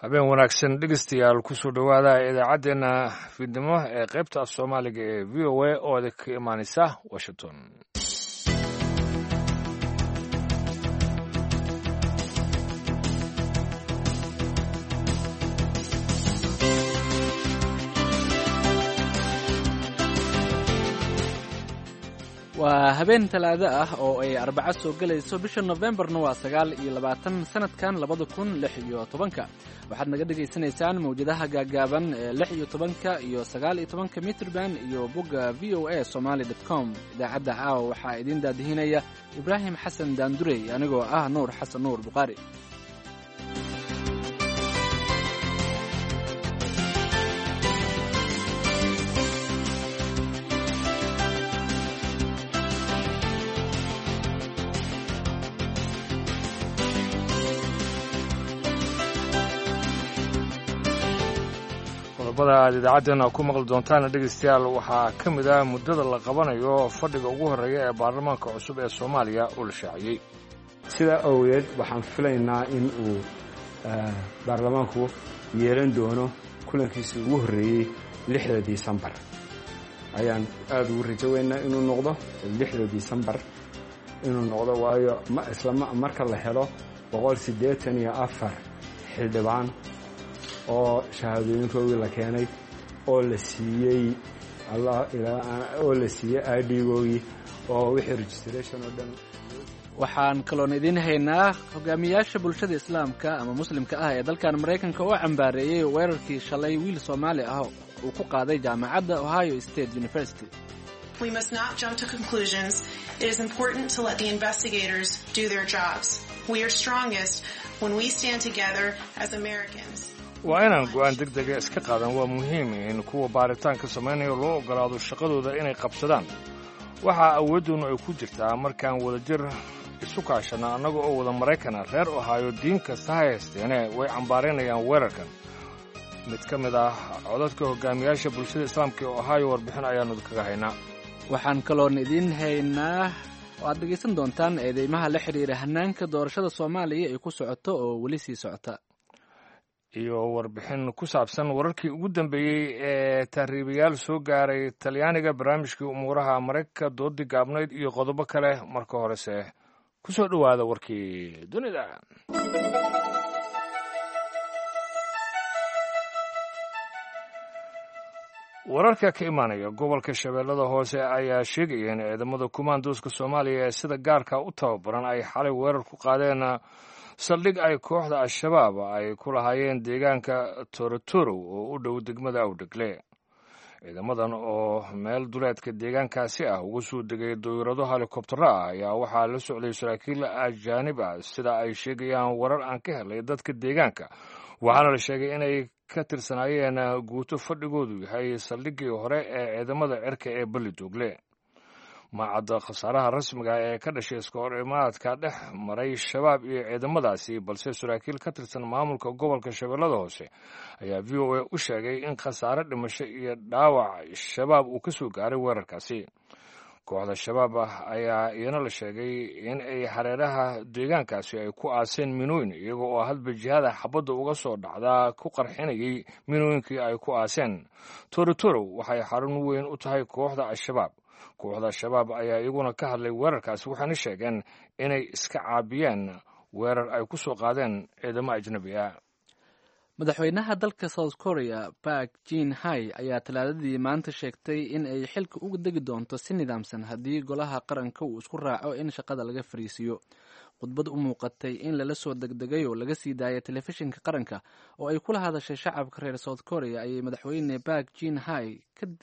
Habeen wanaagsan, dhegeystayaal. Kusoo dhowaada idaacaddeenna fiidnimo ee qaybta af Soomaaliga ee VOA oo idinka ka imaaneysa Washington. Waa habeen Talaado ah oo ay Arbaco soo gelayso, bisha Nofembarna waa 29, sanadkan 2016-ka. Waxaad naga dhegaysanaysaan mawjadaha gaagaaban ee 16-ka iyo 19-ka mitrban iyo bogga VOA Somali com. Idaacadda caawa waxaa idiin daadihinaya Ibraahim Xasan Daandurey, anigoo ah Nuur Xasan Nuur Bukhaari. Qodobada aad idaacaddeena ku maqli doontaana, dhegeystayaal, waxaa ka mid ah muddada la qabanayo fadhiga ugu horreeya ee baarlamaanka cusub ee Soomaaliya oo la shaaciyey. Sidaa awgeed waxaan filaynaa in uu baarlamaanku yeelan doono kulankiisii ugu horreeyey 6da Disembar. Ayaan aada ugu rajo weynaa inuu noqdo 6da Disembar inuu noqdo, waayo ma isla marka la helo 184 xildhibaan oo shahaadooyinkoogii la keenay oo la siiyey oo la siiyey ID-googii oo wixii registration oo dhan. Waxaan kaloon idiin haynaa hogaamiyaasha bulshada Islaamka ama Muslimka ah ee dalkan Maraykanka oo cambaareeyey weerarkii shalay wiil Soomaali ah uu ku qaaday jaamacadda Ohio State University. We must not jump to conclusions. It is important to let the investigators do their jobs. We are strongest when we stand together as Americans. Waa inaan go'aan deg dega iska qaadan. Waa muhiim in kuwa baaritaanka samaynaya loo oggolaado shaqadooda inay qabsadaan. Waxaa awooddoonu ay ku jirtaa markaan wadajir isu kaashanna annaga oo wada Maraykana. Reer Ohaayo diin kasta ha haysteene way cambaaraynayaan weerarkan. Mid ka mid ah codadka hogaamiyaasha bulshada Islaamka ee Ohaayo, warbixin ayaannu kaga haynaa. Waxaan kaloon idiin haynaa oo aad dhegaysan doontaan eedeymaha la xidhiira hanaanka doorashada Soomaaliya ay ku socoto oo weli sii socota. Iyo warbixin ku saabsan wararkii ugu dambeeyey ee tahriibayaal soo gaaray Talyaaniga, barnaamijkii umuuraha Maraykanka, doodii gaabnayd iyo qodobo kale. Marka horese ku soo dhowaada warkii dunida. Wararka ka imaanaya gobolka Shabeellada Hoose ayaa sheegaya in ciidamada kumaandooska Soomaaliya ee sida gaarka u tababaran ay xalay weerar ku qaadeen saldhig ay kooxda Al-Shabaab ay ku lahaayeen deegaanka Torotorow oo u dhow degmada Awdhegle. Ciidamadan oo meel duleedka deegaankaasi ah uga soo degay dawirado helikobtaro ah ayaa waxaa la socday saraakiil ajaanib ah, sida ay sheegayaan warar aan ka helay dadka deegaanka, waxaana la sheegay inay ka tirsanaayeen guuto fadhigoodu yahay saldhiggii hore ee ciidamada cirka ee Balli Doogle. Ma cadda khasaaraha rasmiga ee ka dhashay iska hor imaadka dhex maray Shabaab iyo ciidamadaasi, balse saraakiil ka tirsan maamulka gobolka Shabeellada Hoose ayaa VOA u sheegay in khasaare dhimasho iyo dhaawac Shabaab uu ka soo gaaray weerarkaasi. Kooxda Shabaab ah ayaa iyana la sheegay in ay hareeraha deegaankaasi ay ku aaseen minooyin, iyaga oo hadba jihada xabadda uga soo dhacdaa ku qarxinayay minooyinkii ay ku aaseen. Torotorow waxay xarun weyn u tahay kooxda Al-Shabaab. Kooxda Al-Shabaab ayaa iyaguna ka hadlay weerarkaasi, waxaana sheegeen inay iska caabiyeen weerar ay ku soo qaadeen ciidamo ajnabi ah. Madaxweynaha dalka South Korea Park Jin Hai ayaa Talaadadii maanta sheegtay in ay xilka uga degi doonto si nidaamsan haddii golaha qaranka uu isku raaco in shaqada laga fariisiiyo. Khudbad u muuqatay in lala soo degdegay oo laga sii daayay telefishinka qaranka oo ay kula hadashay shacabka reer South Korea ayay madaxweyne Park Jin Hai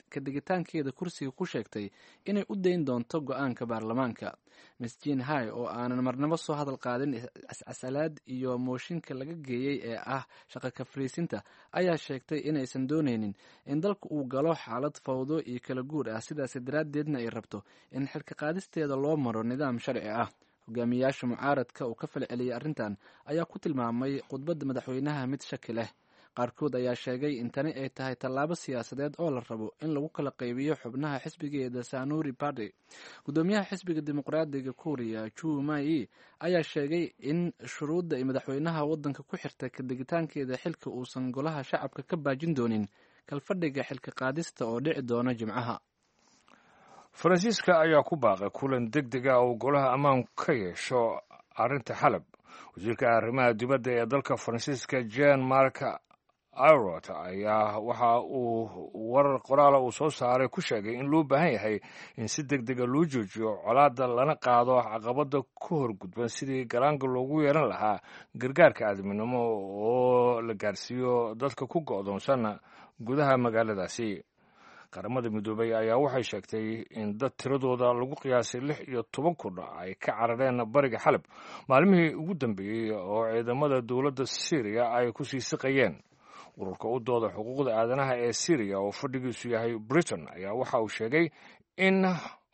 ka degitaankeeda kursiga ku sheegtay inay u dayn doonto go-aanka baarlamaanka. Miss Jin Hai oo aanan marnabo soo hadal qaadin cascasalaad iyo mooshinka laga geeyey ee ah shaqa ka fariisinta ayaa sheegtay inaysan dooneynin in dalka uu galo xaalad fawdo iyo kala guur ah, sidaas daraaddeedna ay rabto in xilka qaadisteeda loo maro nidaam sharci ah. Hogaamiyaasha mucaaradka oo ka falceliyay arrintan ayaa ku tilmaamay khudbadda madaxweynaha mid shaki leh. Qaarkood ayaa sheegay in tani ay tahay tallaabo siyaasadeed oo la rabo in lagu kala qaybiyo xubnaha xisbigeeda Sanuri Party. Gudoomiyaha xisbiga Dimuqraadiga Kuuriya Chu Mai ayaa sheegay in shuruudda ay madaxweynaha waddanka ku xirtay kadegitaankeeda xilka uusan golaha shacabka ka baajin doonin kalfadhiga xilka qaadista oo dhici doona Jimcaha. Faransiiska ayaa ku baaqay kulan deg deg ah oo golaha ammaanku ka yeesho arrinta Xalab. Wasiirka arrimaha dibadda ee dalka Faransiiska Jean Marc Ayrault ayaa waxa uu warar qoraala uu soo saaray ku sheegay in loo baahan yahay in si deg dega loo joojiyo colaadda lana qaado caqabadda ku horgudban sidii garaanga loogu yeelan lahaa gargaarka aadminimo oo la gaarsiiyo dadka ku go'doonsan gudaha magaaladaasi. Qaramada Midoobay ayaa waxay sheegtay in dad tiradooda lagu qiyaasay 16,000 ay ka carareen bariga Xalab maalmihii ugu dambeeyey oo ciidamada dowladda Syriya ay ku sii siqayeen. Ururka u dooda xuquuqda aadanaha ee Syriya oo fadhigiisu yahay Britain ayaa waxa uu sheegay in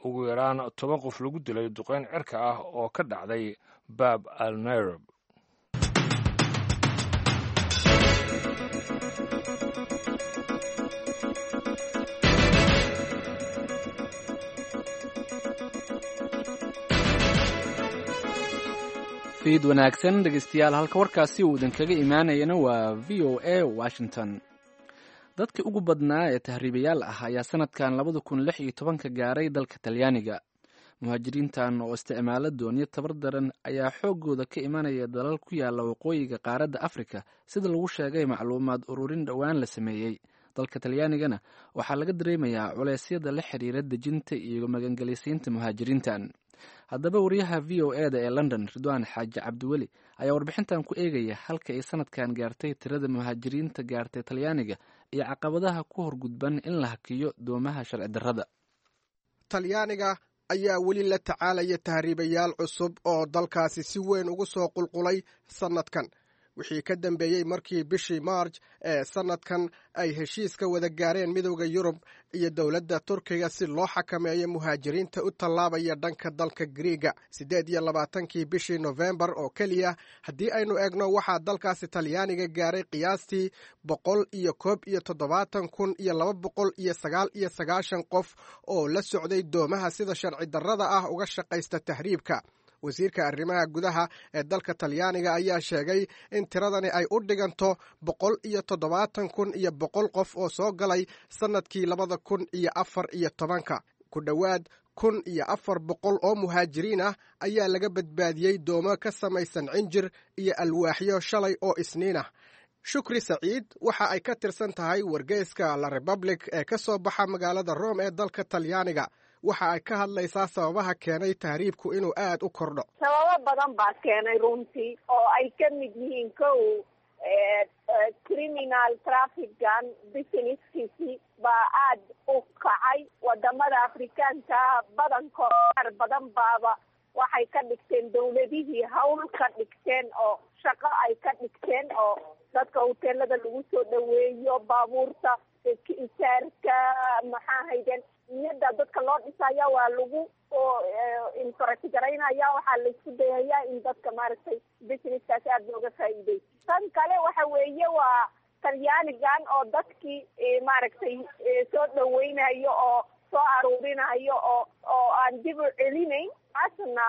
ugu yaraan 10 qof lagu dilay duqeyn cirka ah oo ka dhacday Baab al Nairab. Fiid wanaagsan dhegeystayaal, halka warkaasi uu idinkaga imaanayana waa VOA Washington. Dadkii ugu badnaa ee tahriibayaal ah ayaa sanadkan 2016-ka gaaray dalka Talyaaniga. Muhaajiriintan oo isticmaala doonyo tabar daran ayaa xooggooda ka imanaya dalal ku yaala waqooyiga qaaradda Afrika, sida lagu sheegay macluumaad ururin dhowaan la sameeyey. Dalka Talyaanigana waxaa laga dareemayaa culeysyada la xiriira dejinta iyo magangelisiinta muhaajiriintan. Haddaba wariyaha VOA da ee London, Ridwaan Xaaji Cabdiweli, ayaa warbixintan ku eegaya halka ay sanadkan gaartay tirada muhaajiriinta gaartay Talyaaniga iyo caqabadaha ku horgudban in la hakiyo doomaha sharci darrada. Talyaaniga ayaa weli la tacaalaya tahriibayaal cusub oo dalkaasi si weyn ugu soo qulqulay sannadkan, wixii ka dambeeyey markii bishii Maarj ee sannadkan ay heshiiska wada gaareen Midowda Yurub iyo dowladda Turkiga si loo xakameeyo muhaajiriinta u tallaabaya dhanka dalka Griiga. 28-kii bishii Nofembar oo keliya haddii aynu eegno, waxaa dalkaasi Talyaaniga gaaray qiyaastii 171,299 qof oo la socday doomaha sida sharci darrada ah uga shaqaysta tahriibka. Wasiirka arrimaha gudaha ee dalka Talyaaniga ayaa sheegay in tiradani ay u dhiganto 170,100 qof oo soo galay sannadkii 2014-ka. Ku dhowaad 1,400 oo muhaajiriin ah ayaa laga badbaadiyey doomo ka samaysan cinjir iyo alwaaxyo shalay oo Isniin ah. Shukri Saciid waxa ay ka tirsan tahay wargeyska La Republic ee ka soo baxa magaalada Rome ee dalka Talyaaniga. Waxa ay ka hadlaysaa sababaha keenay tahriibku inuu aad u kordho. Sababo badan baa keenay runtii, oo ay ka mid yihiin kow, criminal trafficgan businesskiisi baa aad u kacay wadamada Afrikaanka badankood. Qaar badan baaba waxay ka dhigteen dawladihii hawl ka dhigteen oo shaqo ay ka dhigteen, oo dadka hoteelada lagu soo dhaweeyo, baabuurta isaarka, maxaa hayden, niyada dadka loo dhisaya waa lagu encourage-garaynaya. Waxaa laisku dayayaa in dadka maaragtay businesskaas aada looga faa'iiday. Tan kale waxa weeye waa Talyaanigan oo dadkii maaragtay soo dhaweynayo oo soo aruurinayo oo aan dib u celinayn, taasna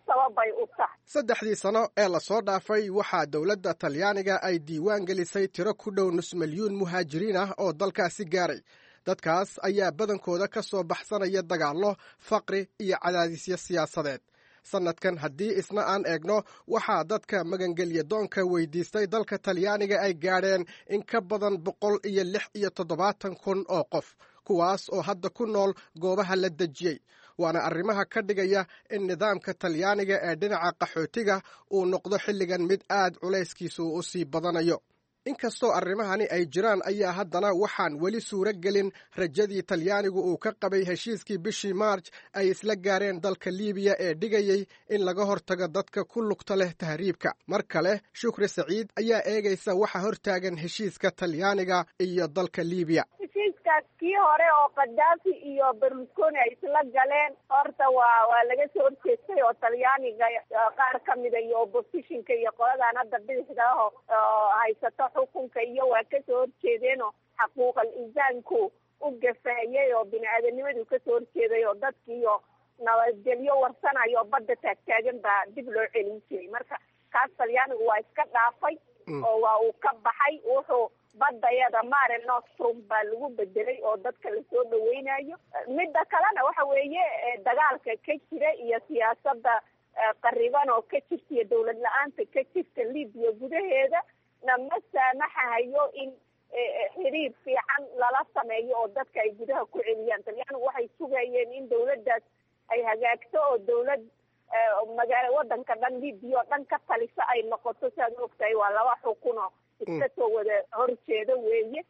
sababay u tahay. Saddexdii sano ee lasoo dhaafay waxaa dowladda Talyaaniga ay diiwaan gelisay tiro ku dhow nus milyuun muhaajiriin ah oo dalkaasi gaaray. Dadkaas ayaa badankooda ka soo baxsanaya dagaallo, faqri iyo cadaadisyo siyaasadeed. Sannadkan haddii isna aan eegno, waxaa dadka magangelya doonka weydiistay dalka Talyaaniga ay gaadheen in ka badan 176,000 oo qof, kuwaas oo hadda ku nool goobaha la dejiyey. Waana arrimaha ka dhigaya in nidaamka Talyaaniga ee dhinaca qaxootiga uu noqdo xilligan mid aad culayskiisu u sii badanayo. Inkastoo arrimahani ay jiraan ayaa haddana waxaan weli suuro gelin rajadii Talyaanigu uu ka qabay heshiiskii bishii Maarj ay isla gaareen dalka Liibiya ee dhigayey in laga hortago dadka ku lugta leh tahriibka. Mar kale Shukri Saciid ayaa eegaysa waxa hortaagan heshiiska Talyaaniga iyo dalka Liibiya. Heshiiskaas kii hore oo Kadaafi iyo Berlusconi ay isla galeen horta waa laga soo horjeestay, oo Talyaaniga qaar ka mida iyo oppositionka iyo qoladan hadda bidixda ah oo haysato Xukunka iyo waa kasoo horjeedeenoo xaquuqal insaanku u gafaayay oo bini-aadanimadu kasoo horjeeday oo dadkiiyo nabadgelyo warsanayo oo badda taagtaagan baa dib loo celin jiray. Marka kaas Talyaanigu waa iska dhaafay oo waa uu ka baxay. Wuxuu badayada Mare Nostrum baa lagu bedelay oo dadka lasoo dhaweynayo. Midda kalena waxa weeye dagaalka ka jira iyo siyaasada qariban oo ka jirta iyo dawlad la-aanta ka jirta Libiya gudaheeda na ma saamaxahayo in xiriir fiican lala sameeyo oo dadka ay gudaha ku celiyaan. Talyaanigu waxay sugayeen in dawladdaas ay hagaagto oo dawlad magaala wadanka dhan, Libiya oo dhan ka talisa ay noqoto. Siaad ogtahay waa laba xukuno iska soo wada horjeeda weeye,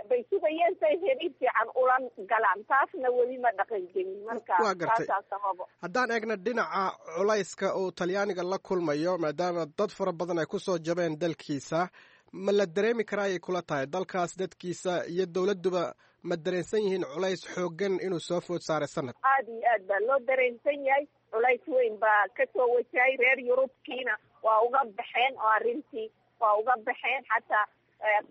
bay sugayeen say xiriir fiican ula galaan, taasna weli ma dhaqangelin. Marka Waa gartay. taasaa sababo. Haddaan eegna dhinaca culayska uu Talyaaniga la kulmayo, maadaama dad fara badan ay kusoo jabeen dalkiisa, ma la dareemi karaa ayay kula tahay dalkaas dadkiisa iyo dowladduba ma dareensan yihiin culays xooggan inuu soo food saaray sanad? Aada iyo aad baa loo dareensan yahay. Culays weyn baa kasoo wajahay. Reer Yurubkiina waa uga baxeen oo arrintii waa uga baxeen, xataa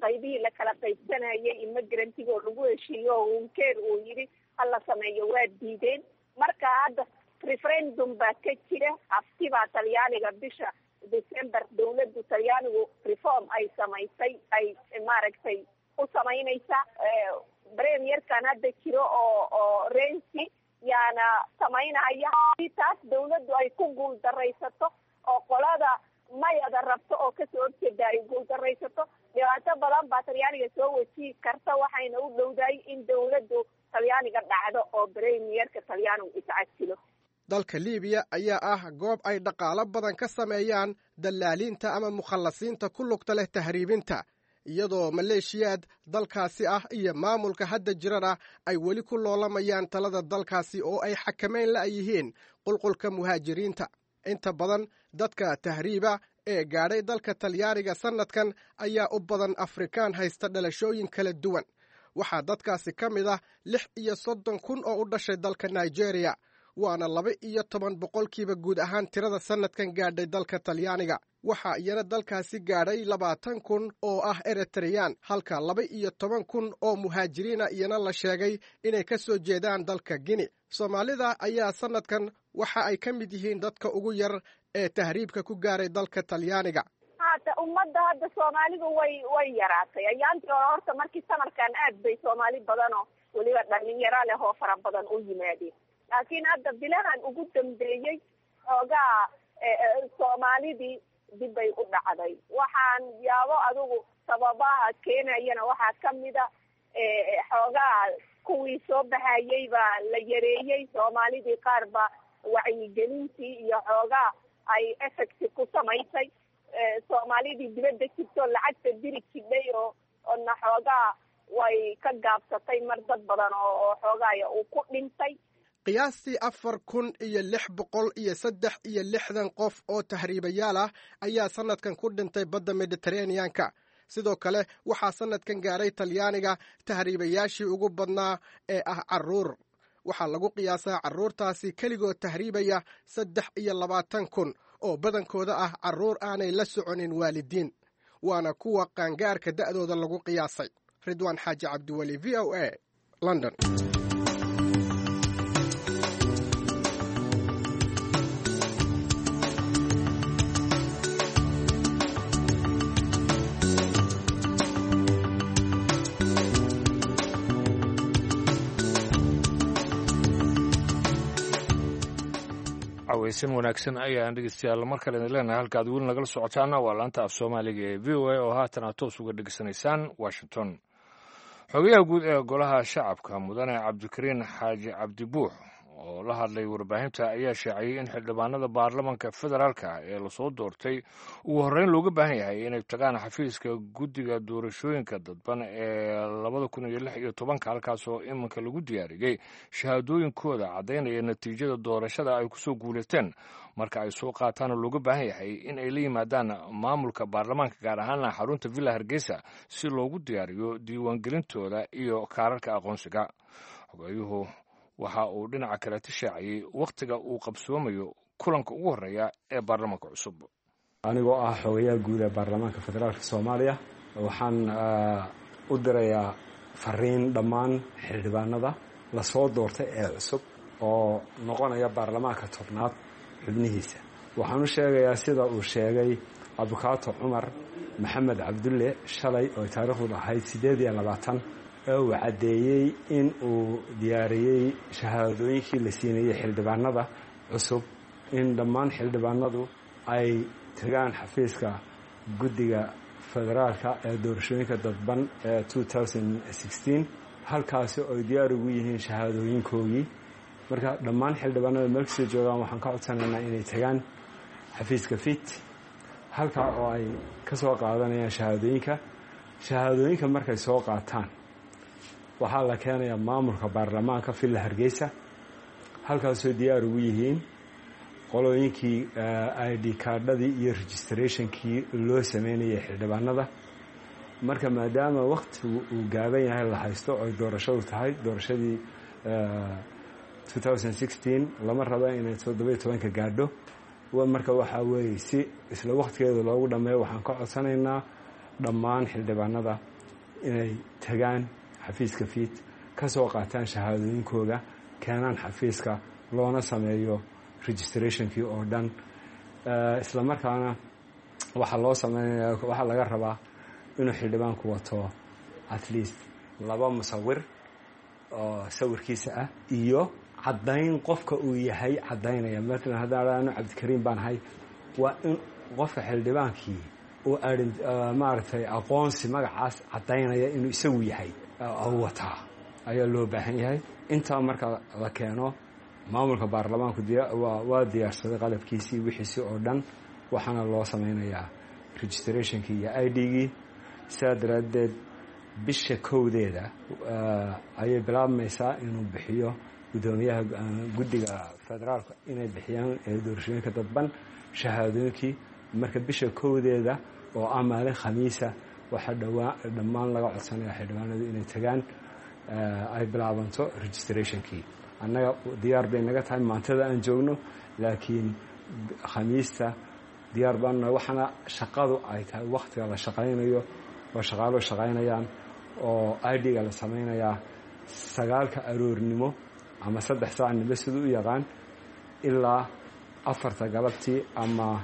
qaybihii la kala qaybsanayay immigrantiga oo lagu heshiiyo oo Hunkeer uu yidhi hala sameeyo waa diideen. Marka hadda referendum baa ka jira, hafti baa Talyaaniga bisha December dawladdu Talyaanigu reform ay samaysay ay maaragtay u samaynaysaa. Premierkan hadda jiro oo Renzi yaana samaynaya. Hadii taas dawladdu ay ku guul daraysato oo qolada mayada rabto oo kasoo horjeeda ay guul daraysato, dhibaato badan baa Talyaaniga soo wajihi karta. Waxayna u dhowdahay in dawladdu Talyaaniga dhacdo oo premierka Talyaanigu iscasilo. Dalka Liibiya ayaa ah goob ay dhaqaalo badan ka sameeyaan dallaaliinta ama mukhallasiinta ku lugta leh tahriibinta, iyadoo maleeshiyaad dalkaasi ah iyo maamulka hadda jirana ay weli ku loolamayaan talada dalkaasi oo ay xakamayn la yihiin qulqulka muhaajiriinta. Inta badan dadka tahriiba ee gaadhay dalka Talyaaniga sannadkan ayaa u badan Afrikaan haysta dhalashooyin kala duwan. Waxaa dadkaasi ka mid ah 36,000 oo u dhashay dalka Nigeria, waana 12% guud ahaan tirada sannadkan gaadhay dalka Talyaaniga. Waxaa iyana dalkaasi gaadhay 20,000 oo ah Eritreyaan, halka 12,000 oo muhaajiriina iyana la sheegay inay ka soo jeedaan dalka Guinea. Soomaalida ayaa sannadkan waxa ay ka mid yihiin dadka ugu yar ee tahriibka ku gaaray dalka Talyaaniga. Hata ummadda hadda Soomaalidu way yaraatay. Ayaantii hore horta markii samarkan aad bay Soomaali badanoo weliba dhalinyaro leh oo fara badan u yimaadeen, laakiin hadda bilahan ugu dambeeyey xoogaa Soomaalidii dib bay u dhacday. Waxaan yaabo adigu sababaha keenayana waxaa kamida xoogaa kuwii soo baxayay baa la yareeyey. Soomaalidii qaar baa wacyigelintii iyo xoogaa ay effect ku samaysay. Soomaalidii dibadda jirto lacagta diri jidhay oo na xoogaa way ka gaabsatay mar dad badan oo xoogaaya uu ku dhintay. Qiyaastii 4663 qof oo tahriibayaal ah ayaa sannadkan ku dhintay badda Mediteraneanka. Sidoo kale waxaa sannadkan gaaray Talyaaniga tahriibayaashii ugu badnaa ee ah carruur. Waxaa lagu qiyaasaa carruurtaasi keligood tahriibaya 23,000 oo badankooda ah carruur aanay la soconin waalidiin, waana kuwa qaangaarka da'dooda lagu qiyaasay. Ridwaan Xaaji Cabdiweli, V O A, London. Caweysan wanaagsan ayaan dhegeystayaal mar kale idin leenahay. Halka aad weli nagala socotaana waa laanta af Soomaaliga ee V O A oo haatan aad toos uga dhegeysanaysaan Washington. Xogayaha guud ee Golaha Shacabka, Mudane Cabdikariin Xaaji Cabdibuux, oo la hadlay warbaahinta ayaa shaaciyey in xildhibaanada baarlamanka federaalka ee lasoo doortay ugu horreyn looga baahan yahay inay tagaan xafiiska guddiga doorashooyinka dadban ee 2016-ka, halkaasoo iminka lagu diyaariyey shahaadooyinkooda caddaynaya natiijada doorashada ay kusoo guulaysteen. Marka ay soo qaataana looga baahan yahay in ay la yimaadaan maamulka baarlamaanka, gaar ahaana xarunta Villa Hargeysa, si loogu diyaariyo diiwaangelintooda iyo kaararka aqoonsiga. Xogayuhu waxa uu dhinaca kale tishaaciyey wakhtiga uu qabsoomayo kulanka ugu horreeya ee baarlamaanka cusub. Anigoo ah xogayaha guud ee baarlamaanka federaalka Soomaaliya, Waxaan u dirayaa fariin dhammaan xildhibaanada lasoo doortay ee cusub oo noqonaya baarlamaanka tobnaad xubnihiisa. Waxaan u sheegayaa sida uu sheegay abukaato Cumar Maxamed Cabdulle shalay oo taariikhdu ahayd 28 ee uu caddeeyey in uu diyaariyey shahaadooyinkii la siinayey xildhibaanada cusub, in dhammaan xildhibaanadu ay tagaan xafiiska guddiga federaalka ee doorashooyinka dadban ee 2016, halkaasi oy diyaar ugu yihiin shahaadooyinkoogii. Marka dhammaan xildhibaanada meel kastoo joogaan waxaan ka codsanaynaa inay tagaan xafiiska FIT, halkaa oo ay ka soo qaadanayaan shahaadooyinka. Shahaadooyinka markay soo qaataan waxaa la keenayaa maamulka baarlamaanka Villa Hargeysa, halkaasoo diyaar ugu yihiin qolooyinkii ID kaadhadii iyo registrationkii loo sameynayay xildhibaanada. Marka maadaama waktigu uu gaaban yahay la haysto, oy doorashadu tahay doorashadii 2016, lama raba inay 17-ka gaadho. Marka waxaa weeye si isla waktigeeda loogu dhammeeyo, waxaan ka codsanaynaa dhammaan xildhibaanada inay tagaan xafiiska FIT, ka soo qaataan shahaadooyinkooda, keenaan xafiiska, loona sameeyo registrationkii oo dhan. Isla markaana waxaa loo sameynaya, waxaa laga rabaa inuu xildhibaanku wato at least laba musawir oo sawirkiisa ah iyo caddayn qofka uu yahay caddaynaya. Maalan haddaan anu Cabdikariim baan ahay, waa in qofka xildhibaankii uu maaragtay aqoonsi magacaas caddaynaya inuu isagu yahay wataa ayaa loo baahan yahay. Intaa marka la keeno, maamulka baarlamaanku waa diyaarsaday qalabkiisii, wixiisii oo dhan, waxaana loo sameynayaa registrationkii iyo ID-gii. Sidaa daraaddeed bisha 1-deeda ayay bilaabmaysaa inuu bixiyo guddoomiyaha guddiga federaalka inay bixiyaan doorashooyinka dadban shahaadooyinkii. Marka bisha 1-deeda oo ah maalin Khamiisa waxaa dhawaa dhammaan laga codsanaya xildhibaanadu inay tagaan, ay bilaabanto registrationkii. Annaga diyaar bay naga tahay maantada aan joogno, laakiin Khamiista diyaar baanuna. Waxaana shaqadu ay tahay wakhtiga la shaqaynayo oo shaqaaluhu shaqaynayaan oo ID-ga la sameynayaa 9-ka aroornimo ama 3 saacnimo siduu u yaqaan ilaa 4-ta galabtii ama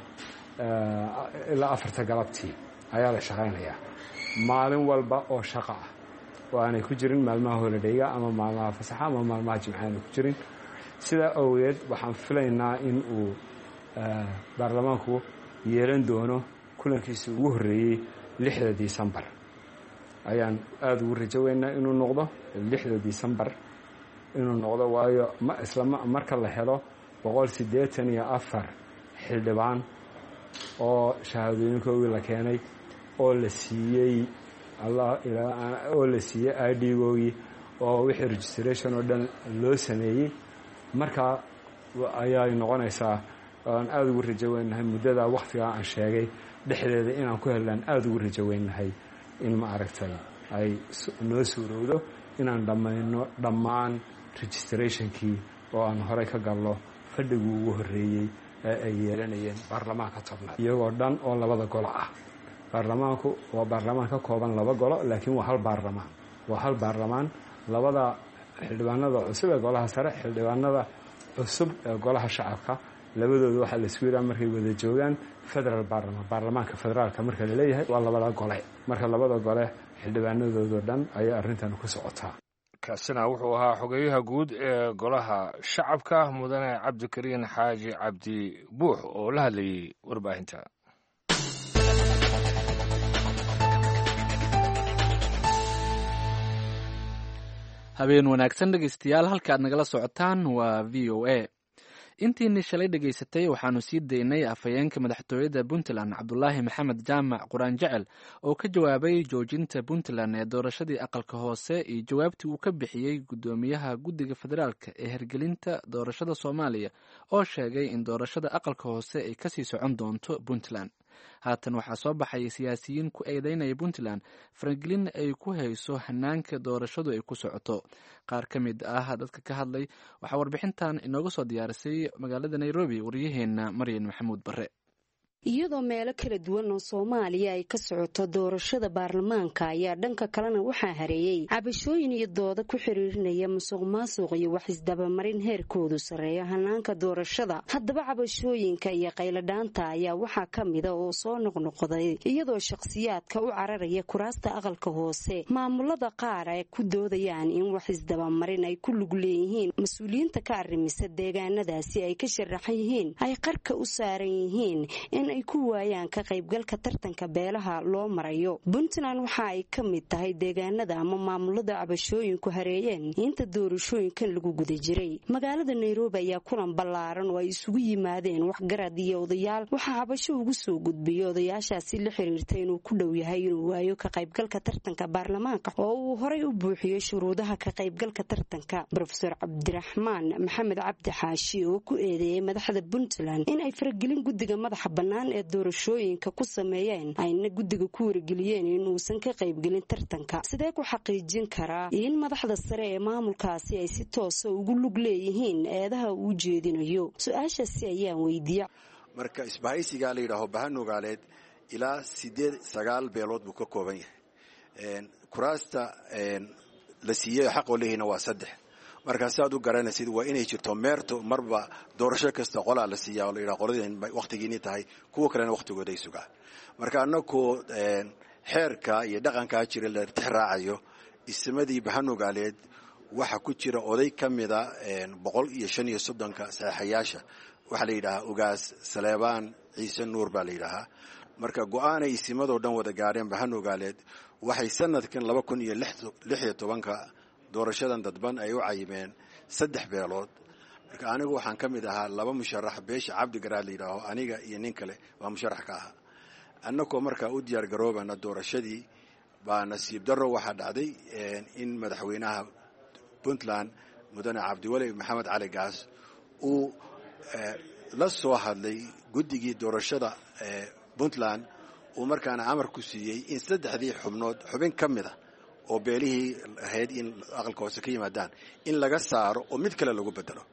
ilaa 4-ta galabtii ayaa la shaqaynayaa maalin walba oo shaqo ah, oo aanay ku jirin maalmaha holidayga ama maalmaha fasaxa ama maalmaha Jimca aanay ku jirin. Sidaa awgeed waxaan filaynaa in uu baarlamaanku yeelan doono kulankiisii ugu horreeyey 6-da Disembar. Ayaan aada ugu rajo weynaa inuu noqdo 6-da Disembar inuu noqdo, waayo ma isla marka la helo 184 xildhibaan oo shahaadooyinkoogii la keenay oo la siiyey oo la siiyey ID-googii oo wixii registration oo dhan loo sameeyey, markaa ayay noqonaysaa. Aan aada ugu rajo weynahay muddada wakhtigaa aan sheegay dhexdeeda inaan ku hellaan. Aada ugu rajo weynahay in ma aragtay ay noo suurowdo inaan dhammayno dhammaan registrationkii oo aan horey ka galno fadhigii ugu horreeyey ee ay yeelanayeen baarlamaanka tobnaad iyagoo dhan oo labada golo ah. Baarlamaanku waa baarlamaan ka kooban laba golo, laakiin waa hal baarlamaan, waa hal baarlamaan. Labada xildhibaanada cusub ee golaha sare, xildhibaanada cusub ee golaha shacabka, labadooda waxaa la isku yidhaha markay wada joogaan federal baarlamaan. Baarlamaanka federaalka marka laleeyahay waa labada gole. Marka labada gole xildhibaanadoodoo dhan ayaa arrintan ku socotaa. Kaasina wuxuu ahaa xogeyaha guud ee golaha shacabka, mudane Cabdikariin Xaaji Cabdi Buux, oo la hadlayey warbaahinta. Habeen wanaagsan dhegeystayaal, halka aad nagala socotaan waa VOA. Intiinii shalay dhegaysatay waxaanu sii daynay afhayeenka madaxtooyada Puntland, Cabdulaahi Maxamed Jaamac Quraan Jecel, oo ka jawaabay joojinta Puntland ee doorashadii aqalka hoose iyo jawaabtii uu ka bixiyey guddoomiyaha guddiga federaalka ee hirgelinta doorashada Soomaaliya oo sheegay in doorashada aqalka hoose ay kasii socon doonto Puntland. Haatan waxaa soo baxaya siyaasiyiin ku eedeynaya Puntland faragelin ay ku hayso hanaanka doorashadu ay ku socoto. Qaar ka mid ah dadka ka hadlay waxaa warbixintan inooga soo diyaarisay magaalada Nairobi waryaheena Maryan Maxamuud Bare. Iyadoo meelo kala duwan oo Soomaaliya ay ka socoto doorashada baarlamaanka ayaa dhanka kalena waxaa hareeyey cabashooyin iyo dooda ku xiriirinaya musuq maasuq iyo wax isdabamarin heerkoodu sarreeyo hanaanka doorashada. Haddaba cabashooyinka iyo qayladhaanta ayaa waxaa ka mida oo soo noqnoqday iyadoo shakhsiyaadka u cararaya kuraasta aqalka hoose maamulada qaar ay ku doodayaan in wax isdabamarin ay ku lug leeyihiin mas-uuliyiinta ka arrimisa deegaanadaasi ay ka sharaxan yihiin ay qarka u saaran yihiin in ay ku waayaan ka qaybgalka tartanka beelaha loo marayo. Puntland waxa ay ka mid tahay deegaanada ama maamulada cabashooyinku hareeyeen inta doorashooyinkan lagu guda jiray. Magaalada Nairobi ayaa kulan ballaaran oo ay isugu yimaadeen waxgarad iyo odayaal waxaa cabasho ugu soo gudbiyay odayaashaasi la xiriirta inuu ku dhow yahay inuu waayo ka qaybgalka tartanka baarlamaanka oo uu horay u buuxiyey shuruudaha ka qaybgalka tartanka. Rofeor Cabdiraxmaan Maxamed Cabdi Xaashi oo ku eedeeyey madaxda Puntland in ay faragelin guddiga madaxa bannaan ee doorashooyinka ku sameeyeen ayna guddiga ku wargeliyeen inuusan ka qaybgelin tartanka. Sidee ku xaqiijin karaa in madaxda sare ee maamulkaasi ay si toosa ugu lug leeyihiin eedaha uu jeedinayo? Su-aashaasi ayaan weydiiya. Marka isbahaysigaa la yidhaaho Bahanogaaleed ilaa 8 9 beelood buu ka kooban yahay. Kuraasta la siiyey xaqoo leeyihiina waa 3. Markaa si aad u garanaysid waa inay jirto meerto marba doorasho kasta qolaa la siiyaa oo la yidhaha qoladeen wakhtigiinii tahay, kuwa kalena wakhtigooda ay sugaan. Marka annagoo xeerka iyo dhaqankaa jira la tixraacayo, ismadii Bahanogaaleed waxaa ku jira oday ka mida 135-ka saxeexayaasha, waxaa la yidhahaa Ugaas Saleebaan Ciise Nuur baa la yidhaahaa. Marka go-aanay isimadoo dhan wada gaadheen Bahanogaaleed waxay sanadkan 2016-ka doorashadan dadban ay u cayimeen 3 beelood. Marka anigu waxaan ka mid ahaa 2 musharax, beesha Cabdigaraad la yidhaaho, aniga iyo nin kale baa musharax ka ahaa. Annagoo markaa u diyaar garoobana doorashadii baa nasiib darro waxaa dhacday in madaxweynaha Puntland Mudane Cabdiweli Maxamed Cali Gaas uu la soo hadlay guddigii doorashada Puntland, uu markaana amar ku siiyey in 3dii xubnood xubin ka mid a oo beelihii ahayd in aqalka hoose ka yimaadaan in laga saaro oo mid kale lagu bedelo.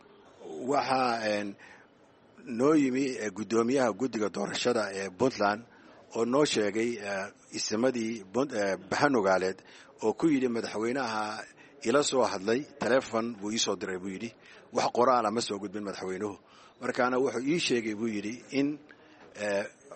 Waxaa noo yimi guddoomiyaha guddiga doorashada ee Puntland oo noo sheegay isimadii Bahanogaaleed oo ku yidhi madaxweynaha ila soo hadlay, telefon buu iisoo diray buu yidhi, wax qoraala ma soo gudbin madaxweynuhu. Markaana wuxuu ii sheegay buu yidhi in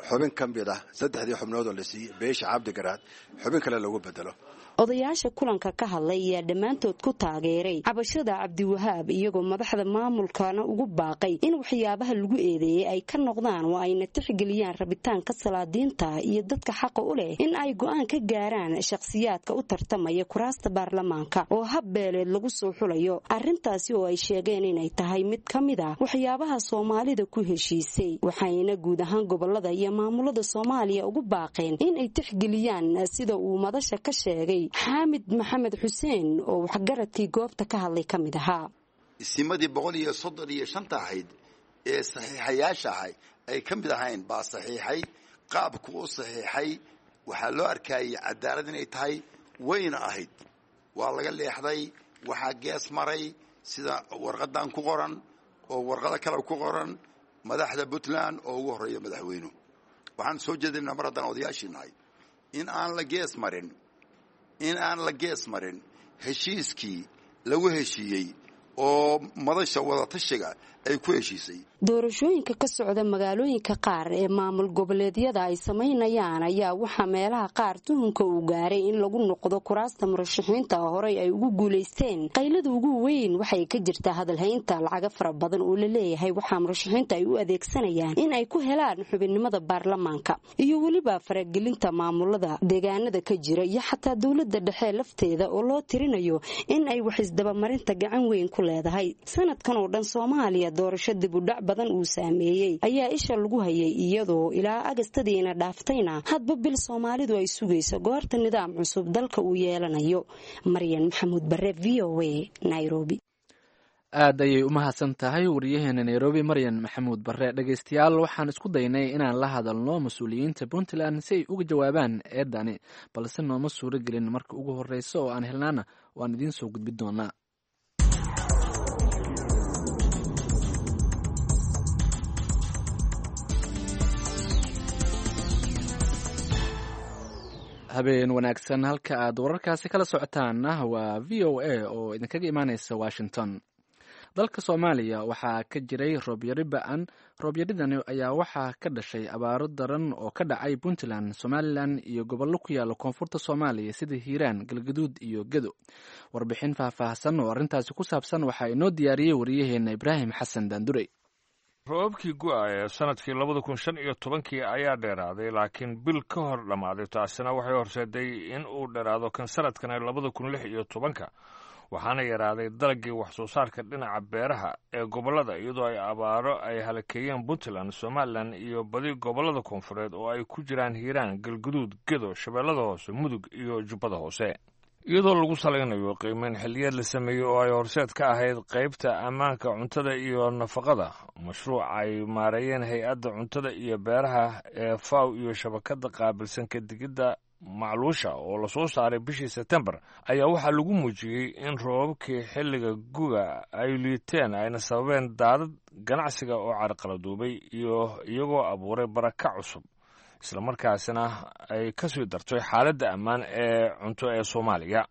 xubin ka mid ah 3dii xubnood oo la siiyey beesha Cabdigaraad xubin kale lagu bedelo. Odayaasha kulanka ka hadlay ayaa dhammaantood ku taageeray cabashada Cabdiwahaab, iyagoo madaxda maamulkana ugu baaqay in waxyaabaha lagu eedeeyey ay ka noqdaan oo ayna tixgeliyaan rabitaanka salaadiinta iyo dadka xaqa u leh in ay go'aan ka gaaraan shakhsiyaadka u tartamaya kuraasta baarlamaanka oo hab beeleed lagu soo xulayo. Arrintaasi oo ay sheegeen inay tahay mid ka mid ah waxyaabaha Soomaalida ku heshiisay, waxayna guud ahaan gobolada iyo maamulada Soomaaliya ugu baaqeen in ay tixgeliyaan sida uu madasha ka sheegay Xaamid Maxamed Xuseen oo waxgaradkii goobta ka hadlay ka mid ahaa. Isimadii 135-ta ahayd ee saxiixayaasha ahay ay ka mid ahayn baa saxiixay. Qaabku u saxiixay waxaa loo arkayay cadaalad inay tahay, wayna ahayd. Waa laga leexday, waxaa gees maray sida warqadan ku qoran oo warqado kale ku qoran madaxda Puntland oo ugu horreeya madaxweynuhu. Waxaan soo jeedinaa mar haddaan odayaashii nahay in aan la gees marin, in aan la gees marin heshiiskii lagu heshiiyey oo madasha wadatashiga ay ku heshiisay. Doorashooyinka ka socda magaalooyinka qaar ee maamul goboleedyada ay samaynayaan ayaa waxaa meelaha qaar tuhunka uu gaaray in lagu noqdo kuraasta murashaxiinta horey ay ugu guulaysteen. Qaylada ugu weyn waxay ka jirtaa hadalhaynta lacaga fara badan oo la leeyahay waxaa murashaxiinta ay u adeegsanayaan in ay ku helaan xubinnimada baarlamaanka iyo weliba faragelinta maamulada deegaanada ka jira iyo xataa dowlada dhexe lafteeda oo loo tirinayo in ay wax isdabamarinta gacan weyn ku leedahay. Sanadkan oo dhan Soomaaliya doorasho dibudhac badan uu saameeyey ayaa isha lagu hayay, iyadoo ilaa agastadiina dhaaftayna hadba bil Soomaalidu ay sugayso goorta nidaam cusub dalka uu yeelanayo. Maryan Maxamuud Bare, V O A, Nairobi. Aad ayay u mahadsan tahay wariyaheena Nairobi, Maryan Maxamuud Bare. Dhegaystayaal, waxaan isku daynay inaan la hadalno mas-uuliyiinta Puntland si ay uga jawaabaan eedani, balse nooma suuro gelin. Marka ugu horreysa oo aan helnaana waan idiin soo gudbin doonaa. Habeen wanaagsan. Halka aad wararkaasi kala socotaanna waa v o a oo idinkaga imaaneysa Washington. Dalka Soomaaliya waxaa ka jiray roobyari ba-an. Roobyaridani ayaa waxaa ka dhashay abaaro daran oo ka dhacay Puntland, Somalilan iyo gobollo ku yaala koonfurta Soomaaliya sida Hiiraan, Galgaduud iyo Gedo. Warbixin faahfaahsan oo arrintaasi ku saabsan waxaa inoo diyaariyey wariyaheena Ibraahim Xasan Daandurey. Roobabkii gu'a ee sanadkii 2015-kii ayaa dheeraaday, laakiin bil ka hor dhammaaday. Taasina waxay horseeday in uu dheeraado kan sanadkan ee 2016-ka, waxaana yaraaday dalaggii wax soo saarka dhinaca beeraha ee gobollada, iyadoo ay abaaro ay halakeeyeen Puntland, Somalilan iyo badi gobollada koonfureed oo ay ku jiraan Hiiraan, Galguduud, Gedo, Shabeellada Hoose, Mudug iyo Jubbada Hoose. Iyadoo lagu salaynayo qiimeyn xilliyeed la sameeyey oo ay horseed ka ahayd qaybta ammaanka cuntada iyo nafaqada, mashruuc ay maareeyeen hay-adda cuntada iyo beeraha ee FAW iyo shabakadda qaabilsan kadigidda macluusha oo lasoo saaray bishii Sebtembar, ayaa waxaa lagu muujiyey in roobabkii xilliga guga ay liiteen, ayna sababeen daadad, ganacsiga oo carqaladuubay iyo iyagoo abuuray baraka cusub, islamarkaasina ay ka sii dartay xaaladda ammaan ee cunto ee Soomaaliya.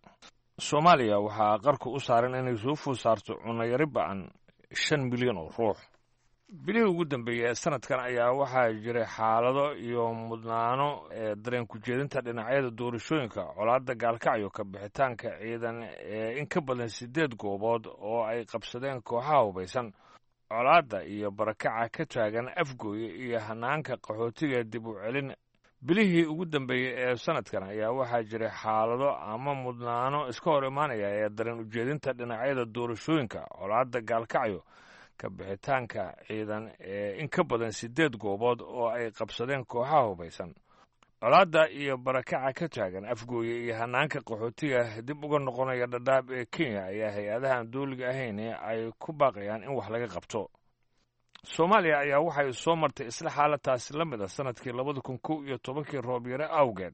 Soomaaliya waxaa qarku u saaran inay soo food saarto cunayari ba-an 5 milyan oo ruux. Bilihii ugu dambeeyey ee sanadkan ayaa waxaa jiray xaalado iyo mudnaano ee dareen ku-jeedinta dhinacyada doorashooyinka, colaadda Gaalkacyo, ka bixitaanka ciidan ee in ka badan siddeed goobood oo ay qabsadeen kooxaha hubaysan, colaadda iyo barakaca ka taagan Afgooye iyo hanaanka qaxootiga dib u celin. Bilihii ugu dambeeyey ee sanadkan ayaa waxaa jiray xaalado ama mudnaano iska hor imaanaya ee dareen ujeedinta dhinacyada doorashooyinka, colaadda Gaalkacyo, ka bixitaanka ciidan ee in ka badan siddeed goobood oo ay qabsadeen kooxaha hubaysan, colaadda iyo barakaca ka taagan Afgooye iyo hanaanka qaxootiga dib uga noqonaya Dhadhaab ee Kenya ayaa hay-adahan dowliga ahayn ay ku baaqayaan in wax laga qabto. Soomaaliya ayaa waxay soo martay isla xaaladaasi la mid a sanadkii 2011-kii roobyare awgeed,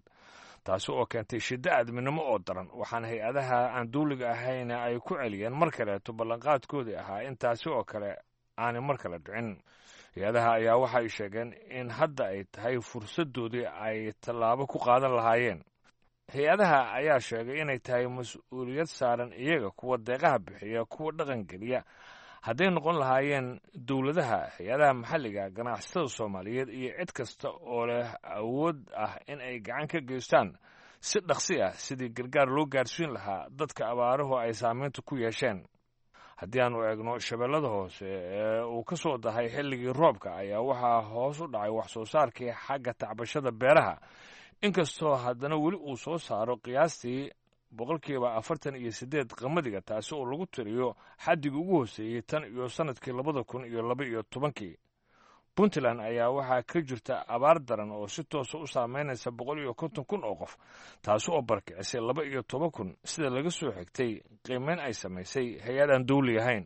taasi oo keentay shiddo aadminimo oo daran, waxaana hay-adaha aan dowliga ahayn ay ku celiyeen mar kaleeto ballanqaadkoodii ahaa in taasi oo kale aanay mar kale dhicin. Hay-adaha ayaa waxay sheegeen in hadda ay tahay fursaddoodii ay tallaabo ku qaadan lahaayeen. Hay-adaha ayaa sheegay inay tahay mas-uuliyad saaran iyaga, kuwa deeqaha bixiya, kuwa dhaqangeliya, hadday noqon lahaayeen dowladaha, hay-adaha maxalliga, ganacsatada Soomaaliyeed iyo cid kasta oo leh awood ah in ay gacan ka geystaan si dhaqsi ah sidii gargaar loo gaarsiin lahaa dadka abaaruhu ay saameynta ku yeesheen. Haddii aanu eegno Shabeellada Hoose ee uu ka soo dahay xilligii roobka, ayaa waxaa hoos u dhacay wax soo saarkii xagga tacbashada beeraha, inkastoo haddana weli uu soo saaro qiyaastii 48% qamadiga, taasi oo lagu tiriyo xaddigii ugu hooseeyey tan iyo sannadkii 2012-kii. Puntland ayaa waxaa ka jirta abaar daran oo si toosa u saameynaysa 150,000 oo qof, taasi oo barkicisay 12,000, sida laga soo xigtay qiimeyn ay samaysay hay-ad aan dowli ahayn.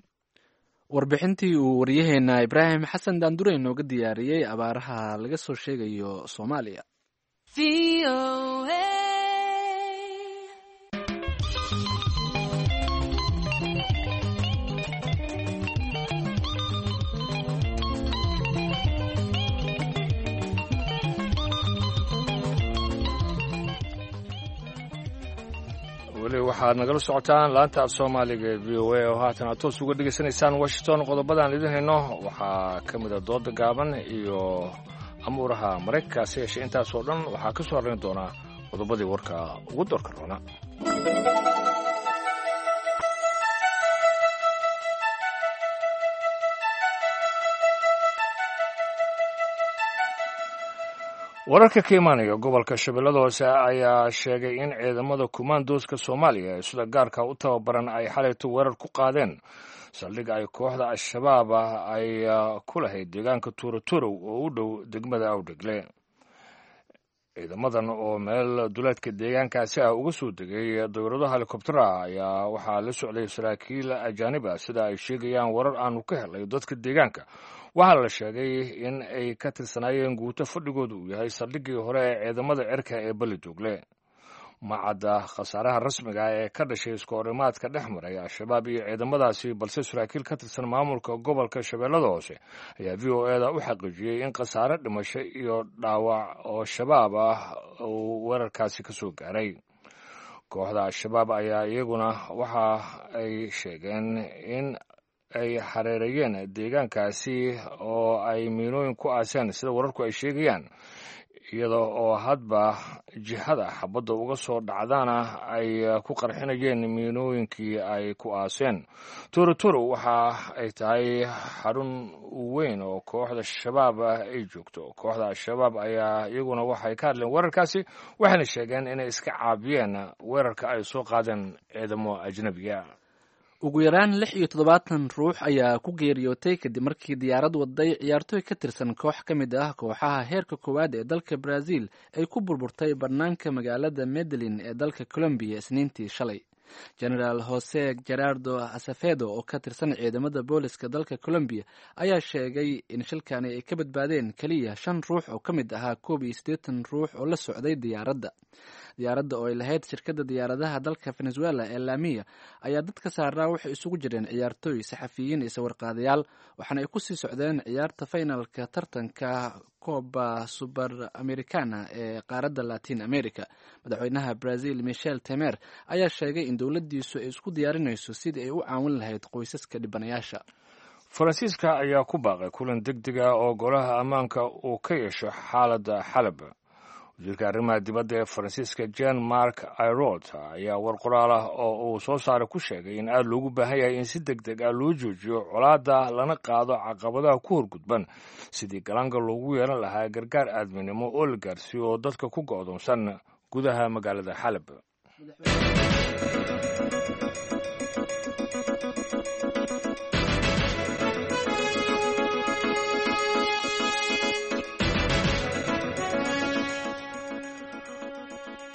Warbixintii uu waryaheena Ibraahim Xasan Daandure inooga diyaariyey abaaraha laga soo sheegayo Soomaaliya. Weli waxaad nagala socotaan laanta af Soomaaliga ee v o a oo haatan aad toos uga dhegaysanaysaan Washington. Qodobadaan idin hayno waxaa ka mid a dooda gaaban iyo amuuraha Maraykanka. Se yeeshee intaasoo dhan waxaa ka soo horrayn doonaa qodobadii warka ugu doorka roona. Wararka ka imaanaya gobolka Shabeellada Hoose ayaa sheegay in ciidamada kumaandooska Soomaaliya ee sida gaarka u tababaran ay xalayto weerar ku qaadeen saldhig ay kooxda Al-Shabaab ah ay ku lahayd deegaanka Tuuraturow oo u dhow degmada Awdhegle. Ciidamadan oo meel duleedka deegaankaasi ah uga soo degay dowlado helikobtera ayaa waxaa la socday saraakiil ajaanib ah, sida ay sheegayaan warar aanu ka helay dadka deegaanka. Waxaa la sheegay in ay ka tirsanaayeen guuto fadhigooda uu yahay saldhiggii hore ee ciidamada cirka ee Balidoogle. Ma cadda khasaaraha rasmiga ah ee ka dhashay iskoorimaadka dhex maray Al-Shabaab iyo ciidamadaasi, balse saraakiil ka tirsan maamulka gobolka Shabeellada Hoose ayaa VOA-da u xaqiijiyey in khasaare dhimasho iyo dhaawac oo Shabaab ah uu weerarkaasi ka soo gaaray. Kooxda Al-Shabaab ayaa iyaguna waxa ay sheegeen in ay xareereeyeen deegaankaasi oo ay miinooyin ku aaseen, sida wararku ay sheegayaan, iyada oo hadba jihada xabadda uga soo dhacdaana ay ku qarxinayeen miinooyinkii ay ku aaseen. Torotoro waxa ay tahay xarun weyn oo kooxda Shabaab ah ay joogto. Kooxda Al-Shabaab ayaa iyaguna waxay ka hadleen weerarkaasi, waxayna sheegeen inay iska caabiyeen weerarka ay soo qaadeen ciidamo ajnabiga. Ugu yaraan 76 ruux ayaa ku geeriyootay kadib markii diyaarad waday ciyaartooy ka tirsan koox ka mid ah kooxaha heerka koowaad ee dalka Brazil ay ku burburtay bannaanka magaalada Medellin ee dalka Colombiya Isniintii shalay. Genaraal Jose Gerardo Asafedo oo ka tirsan ciidamada booliska dalka Colombiya ayaa sheegay in shilkani ay ka badbaadeen keliya shan ruux oo ka mid ahaa 81 ruux oo la socday diyaaradda. Diyaaradda oo ay lahayd shirkadda diyaaradaha dalka Venezuela ee Lamia ayaa dadka saaraa waxay isugu jireen ciyaartooy, saxafiyiin iyo sawirqaadayaal, waxaana ay kusii socdeen ciyaarta faynalka tartanka Coba Suber Americana ee qaaradda Latin America. Madaxweynaha Brazil Michel Temer ayaa sheegay in dowladdiisu ay isku diyaarinayso sidii ay u caawin lahayd qoysaska dhibanayaasha. Faransiiska ayaa ku baaqay kulan deg deg ah oo golaha ammaanka uu ka yeesho xaaladda Xalab. Wasiirka arrimaha dibadda ee Faransiiska Jean Marc Ayrault ayaa war qoraal ah oo uu soo saaray ku sheegay in aada loogu baahan yahay in si deg deg ah loo joojiyo colaadda, lana qaado caqabadaha ku horgudban sidii galaanga loogu yeelan lahaa gargaar aadminimo oo la gaarsiiyo dadka ku go'doonsan gudaha magaalada Xalab.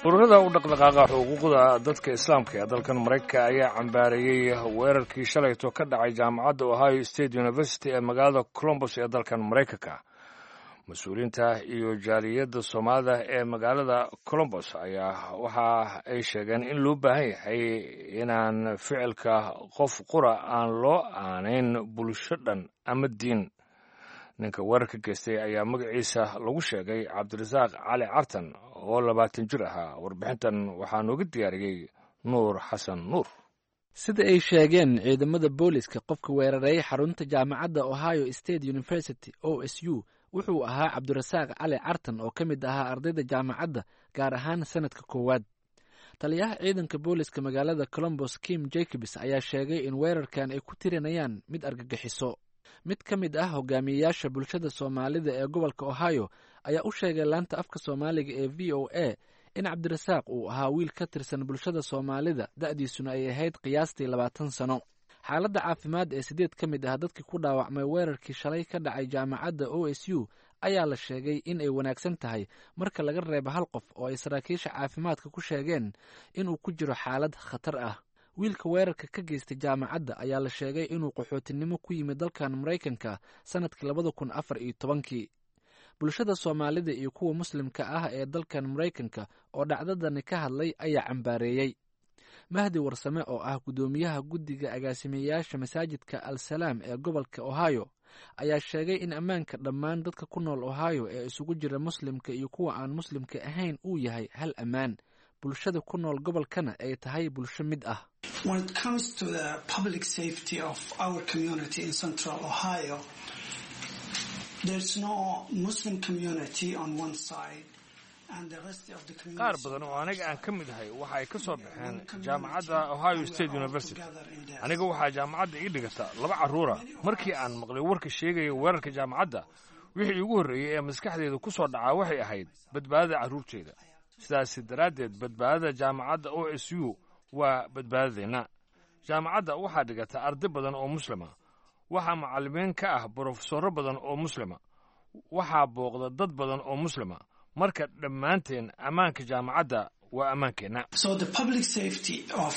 Ururada u dhaqdhaqaaqa xuquuqda dadka islaamka ee dalkan Maraykanka ayaa cambaareeyey weerarkii shalayto ka dhacay jaamacadda Ohio State University ee magaalada Columbus ee dalkan Maraykanka. Mas-uuliyiinta iyo jaaliyadda Soomaalida ee magaalada Columbus ayaa waxa ay sheegeen in loo baahan yahay inaan ficilka qof qura aan loo aanayn bulsho dhan ama diin. Ninka weerarka geystay ayaa magaciisa lagu sheegay Cabdirasaaq Cali Cartan oo 20 jir ahaa. Warbixintan waxaa nooga diyaariyey Nuur Xasan Nuur. Sida ay sheegeen ciidamada booliska, qofka weeraray xarunta jaamacadda Ohio State University, OSU, wuxuu ahaa Cabdirasaaq Cali Cartan oo ka mid ahaa ardayda jaamacadda, gaar ahaan sanadka koowaad. Taliyaha ciidanka booliska magaalada Columbus, Kim Jacobs, ayaa sheegay in weerarkan ay ku tirinayaan mid argagixiso. Mid ka mid ah hogaamiyeyaasha bulshada Soomaalida ee gobolka Ohio ayaa u sheegay laanta afka Soomaaliga ee VOA in Cabdirasaaq uu ahaa wiil ka tirsan bulshada Soomaalida, da'diisuna ay ahayd qiyaastii 20 sano. Xaaladda caafimaad ee sideed ka mid ah dadkii ku dhaawacmay weerarkii shalay ka dhacay jaamacadda OSU ayaa la sheegay in ay wanaagsan tahay, marka laga reebo hal qof oo ay saraakiisha caafimaadka ku sheegeen inuu ku jiro xaalad khatar ah. Wiilka weerarka ka geystay jaamacadda ayaa la sheegay inuu qaxootinimo ku yimid dalkan Maraykanka sanadkii 2014-kii. Bulshada Soomaalida iyo kuwa Muslimka ah ee dalkan Maraykanka oo dhacdadani ka hadlay ayaa cambaareeyey. Mahdi Warsame oo ah guddoomiyaha guddiga agaasimeyaasha masaajidka Al Salaam ee gobolka Ohio ayaa sheegay in ammaanka dhammaan dadka ku nool Ohio ee isugu jira Muslimka iyo kuwa aan Muslimka ahayn uu yahay hal ammaan, bulshada ku nool gobolkana ay tahay bulsho mid ah. When it comes to the public safety of our community in Central Ohio, there's no Muslim community on one side and the rest of the community. Qaar badan oo aniga aan ka mid ahay waxa ay ka soo baxeen jaamacadda Ohio State University. Aniga waxaa jaamacadda ii dhigata laba carruura. Markii aan maqlay warka sheegaya weerarka jaamacadda, wixii iigu horreeyey ee maskaxdeeda ku soo dhacaa waxay ahayd badbaadada carruurteeda. Sidaas daraaddeed, badbaadada jaamacadda OSU waa badbaadadeenna. Jaamacadda waxaa dhigata arday badan oo Muslima, waxaa macallimiin ka ah brofesorro badan oo Muslima, waxaa booqda dad badan oo Muslima. Marka dhammaanteen ammaanka jaamacadda waa ammaankeenna. So the public safety of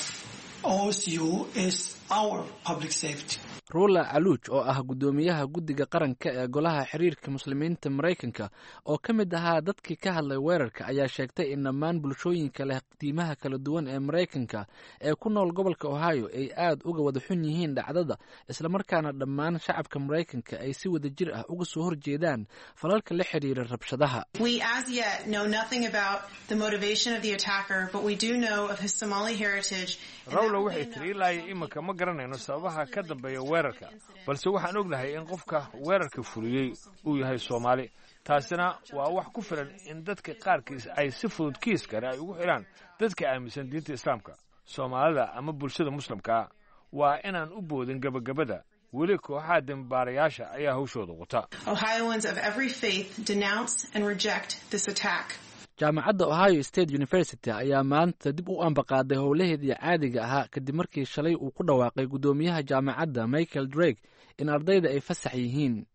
OSU is our public safety. Rula Caluuj oo ah guddoomiyaha guddiga qaranka ee golaha xiriirka muslimiinta Maraykanka oo ka mid ahaa dadkii ka hadlay weerarka ayaa sheegtay in dhammaan bulshooyinka leh diimaha kala duwan ee Maraykanka ee ku nool gobolka Ohio ay aad uga wada xun yihiin dhacdada, islamarkaana dhammaan shacabka Maraykanka ay si wadajir ah uga soo horjeedaan falalka la xiriira rabshadaha. We as yet know nothing about the motivation of the attacker, but we do know of his Somali heritage. Rawla waxay tiri ilaa iyo iminka ma garanayno sababaha ka dambeeya weerarka, balse waxaan ognahay in qofka weerarka fuliyey uu yahay Soomaali. Taasina waa wax ku filan in dadka qaarkiis ay si fudud kiiskani ay ugu xidhaan dadka aaminsan diinta Islaamka, Soomaalida ama bulshada Muslimkaa. Waa inaan u boodin gebagabada. Weli kooxaha dembibaarayaasha ayaa hawshooda wata. Ohioans of every faith denounce and reject this attack. Jaamacadda Ohio State University ayaa maanta dib u ambaqaaday howlaheedii caadiga ahaa kadib markii shalay uu ku dhawaaqay guddoomiyaha jaamacadda Michael Drake in ardayda ay fasax yihiin.